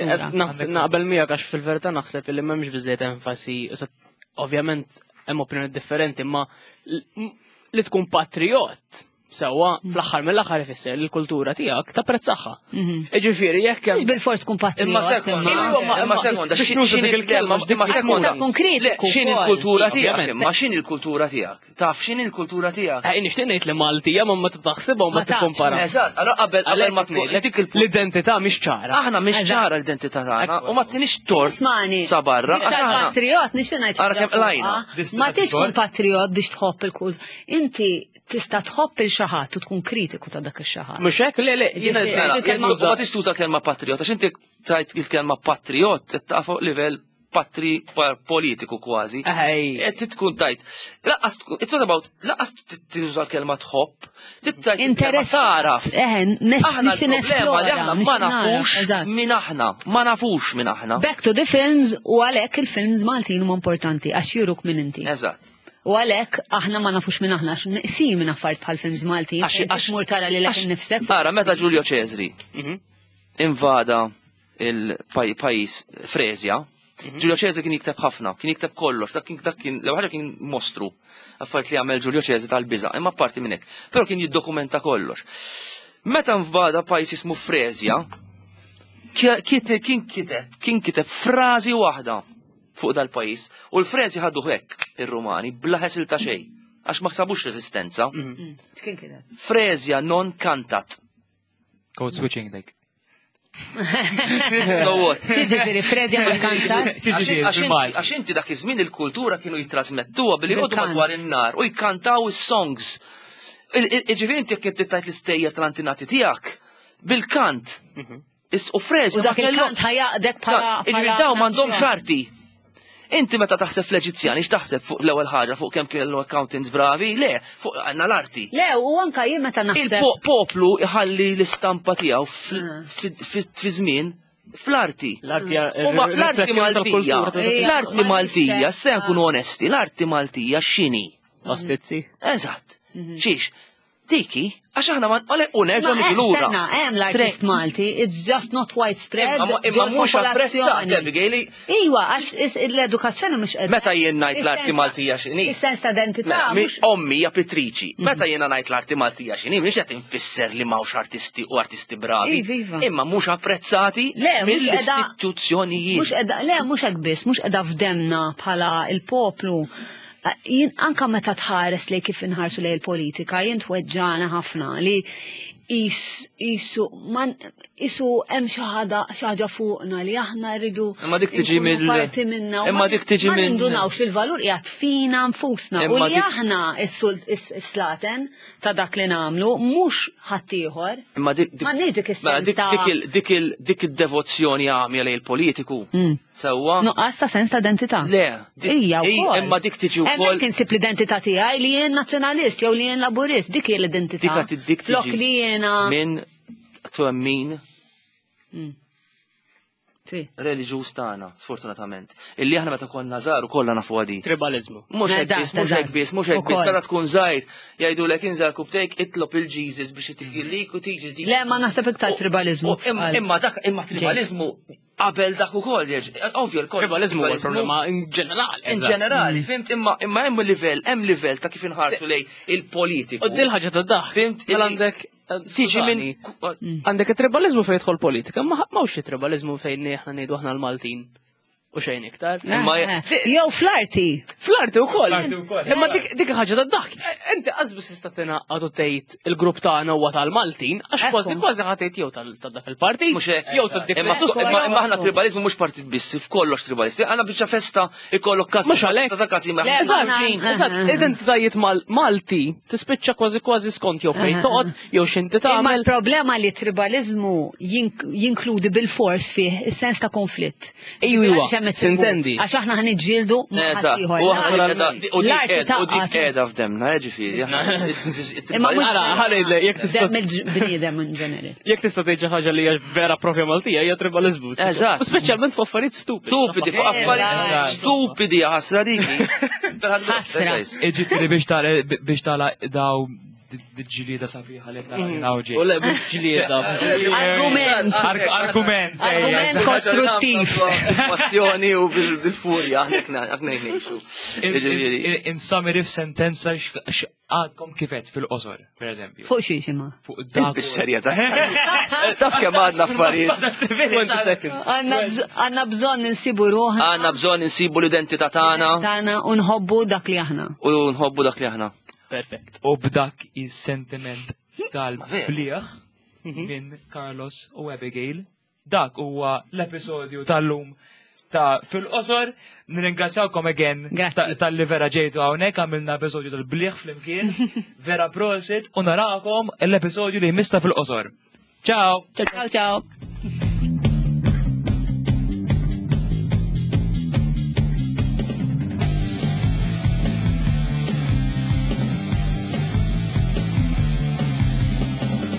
naqbel miegħek għax fil-verità naħseb li m'hemmx biżejjed enfasi, ovvjament hemm opinjoni differenti, imma li tkun patriot sewwa fl-aħħar mill-aħħar ifisser li l-kultura tiegħek tapprezzaha. Iġifieri jekk hemm. Mhux bil-fors tkun patriot. Imma sekonda, imma sekonda, x'inhi il-kelma, imma sekonda. X'inhi l-kultura tiegħek? Imma x'inhi l-kultura tiegħek? Taf x'inhi l-kultura tiegħek? Eh, nixtieq ngħid li Maltija ma ma taħsibha u ma tikkumpara. Eżatt, allora qabel qabel ma tkun dik l-identità mhix ċara. Aħna mhix ċara l-identità tagħna u ma tinix tort sa barra. Patriot nixtieq ngħid. Ara kemm qlajna. Ma tix tkun patriot biex tħobb il-kult. Inti tista' tħobb il xi ħadd u tkun kritiku ta' dak ix-xi ħadd. Mhux hekk le le jiena ma tix tuża kelma patriot għax inti tajt il-kelma patriot qed fuq livell patri politiku kważi. Qed tkun tajt. Laqas it's not about laqas tuża l-kelma tħobb, tittajt Interess taraf. Aħna l-problema li aħna ma nafux min aħna, ma nafux min aħna. Back to the films u għalhekk il-films Maltin huma importanti għax juruk min inti. Eżatt. U għalhekk aħna ma nafux minn aħna għax neqsin minn affarijiet bħal films Maltin. Għax mur tara lilek innifsek. Ara meta Giulio Cesri invada il-pajis Frezja. Giulio Cesare kien jikteb ħafna, kien jikteb kollox, dak kien dak kien l-ewwel kien mostru. Affarijiet li għamel Giulio Cesare tal-biża', imma parti minn hekk. Però kien jiddokumenta kollox. Meta nvada pajis jismu Frezja, kien kiteb kien kiteb frażi waħda fuq dal-pajis u l-Frezja ħadu hekk ir-Rumani bla ħesil ta' xejn għax ma ksabux reżistenza. Frezja non cantat. Code switching dik. So what? Ġifieri Fredja ma kantax. Għax inti dak iż-żmien il-kultura kienu jitrasmettuha billi jqogħdu madwar in-nar u jkantaw is-songs. Ġifieri inti jekk inti tajt l-istejjer tal-antinati tiegħek bil-kant. U Frezja U dak il-kant ħajaqdek bħala. Ġifieri dawn m'għandhomx arti. Inti meta taħseb fl-Eġizzjani, x'taħseb fuq l-ewwel ħaġa fuq kemm kienu accountants bravi? Le, fuq għandna l-arti. Le, u anka jien meta naħseb. Il-poplu iħalli l-istampa tiegħu fi żmien fl-arti. L-arti Maltija, l-arti Maltija, se nkunu onesti, l-arti Maltija x'inhi? Pastizzi. Eżatt. Xiex, Diki, għax aħna ma għalek u nerġa' niġu lura. Stenna, hemm l-artist Malti, it's just not widespread. Imma mhux apprezzat, Abigail. Iwa, għax l-edukazzjoni mhux qed. Meta jien ngħid l-arti Maltija x'inhi. Is-sens ta' identità. Mela, ommi hija pittriċi. Mhm. Meta jiena ngħid l-arti Maltija x'inhi, mhix qed infisser li m'hawnx artisti u artisti bravi. Iva, iva. Imma mhux apprezzati mill-istituzzjonijiet. Mhux qiegħda, le mhux hekk biss, mhux qiegħda f'demna bħala il-poplu. Jien anka meta tħares lej kif inħarsu lej il-politika, jien tweġġana ħafna li Isu man isu hemm xi ħaġa fuqna li aħna rridu Imma dik tiġi mill parti minna. Imma dik tiġi minn ma nindunawx il-valur qiegħed fina nfusna u li aħna is-slaten ta' dak li nagħmlu mhux ħaddieħor. Imma dik m'għandniex dik is-sens dik dik id-devozzjoni għamja lejn il-politiku. Mm. Sewwa. Nuqqas ta' sens ta' identità. Le. Ija wkoll. Imma dik tiġi wkoll. Hemmhekk insib l-identità tiegħi li jien nazzjonalist jew li jien laburist, dik hija l-identità. Dik dik Flok li jiena. Minn twemmin mm. Reliġjuż tagħna, sfortunatament. Illi aħna meta konna żgħar ukoll nafu għadi. Tribalizmu. Mhux hekk biss, mhux hekk biss, mhux hekk biss, meta tkun żgħir jgħidulek inżar kubtejk itlob il-Jesus biex itikillik u tiġi. Le ma naħseb iktar tribalizmu. Imma dak imma tribalizmu qabel dak ukoll jerġa' ovvju l-kol. Tribalizmu huwa problema in ġenerali. In ġenerali, fimt imma imma hemm livell, hemm livell ta' kif inħarsu lej il-politiku. U dil ħaġa ta' daħ. Fimt mela għandek tiġi minn għandek it-tribalizmu fejn jidħol politika, ma m'hawnx tribalizmu fejn aħna ngħidu aħna l-Maltin u xejn iktar. Imma jew fl-arti. Fl-arti wkoll. Imma dik ħaġa ta' daħk. Inti qasbis tista' tingħaqad u tgħid il-grupp tagħna huwa tal-Maltin, għax kważi kważi ħa tgħid jew ta' dak il-partit, jew ta' dik Imma aħna tribalizmu mhux partit biss, f'kollox tribalisti. Għandna biċċa festa ikollok każ. Mhux għalhekk. Ta' każi ma' Eżatt, eżatt, identitajiet Malti tispiċċa kważi kważi skont jew fejn toqgħod jew x'inti Imma tagħmel. l-problema li tribalizmu jinkludi bil-fors fih is-sens ta' konflitt. Ejwa, Għax hemm it-tribu. sintendi. Għax aħna ħniġġieldu ma' Eżatt, ħaddieħor. u aħna u dik L-arti qiegħda- u dik taqgħad. qiegħda f'demna, ġifieri. Imma mhux- Ara, ħalli jekk tista' Dem il-bniedem in ġenerali. jekk tista' tgħid xi ħaġa li hija vera propja Maltija hija tribalizmu. Eżatt. U speċjalment fuq affarijiet stupidi. Stupidi, fuq affarijiet stupidi ħasra dik. Ħasra. Iġifieri biex tara biex tara daw ġlieda sabiħa li naraw ġej. U le ġlieda. Argument. Argument. Argument kostruttiv. Passjoni u bil-furja, aħna ngħixu. In summary f'sentenza x'għadkom kifet fil-qosor, per eżempju. Fuq xiex imma. Fuq dak. Bis-serjetà. Taf kemm għadna affarijiet. 20 seconds. Għanna bżonn insibu ruħna. Għandna bżonn insibu l-identità tagħna Tagħna u nħobbu dak li aħna. u nħobbu dak li aħna. Perfect. U b'dak is-sentiment tal-bliħ minn Carlos u Abigail. Dak huwa l-episodju tal-lum ta' fil-qosor. Nirringrazzjawkom again Grazzi. tal-li vera ġejtu hawnhekk għamilna episodju tal-bliħ flimkien. Vera prosit u narakom l-episodju li jmista fil-qosor. Ciao! Ciao ciao.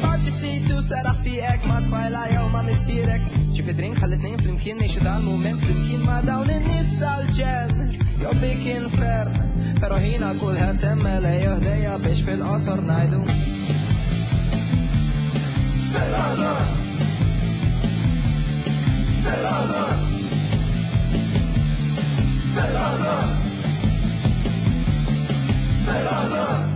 Paġi ftit u seraħ sieqek ma' tfajla jew ma' missierek. Ġib drink ħalli tnejn flimkien ngħixu dal-mument flimkien ma' dawn in-nies tal-ġenn. Jew bik infern, però ħina kulħadd hemm jew ħdejja biex fil-qosor ngħidu. Fil-qosor! Fil-qosor! Fil-qosor! Fil-qosor!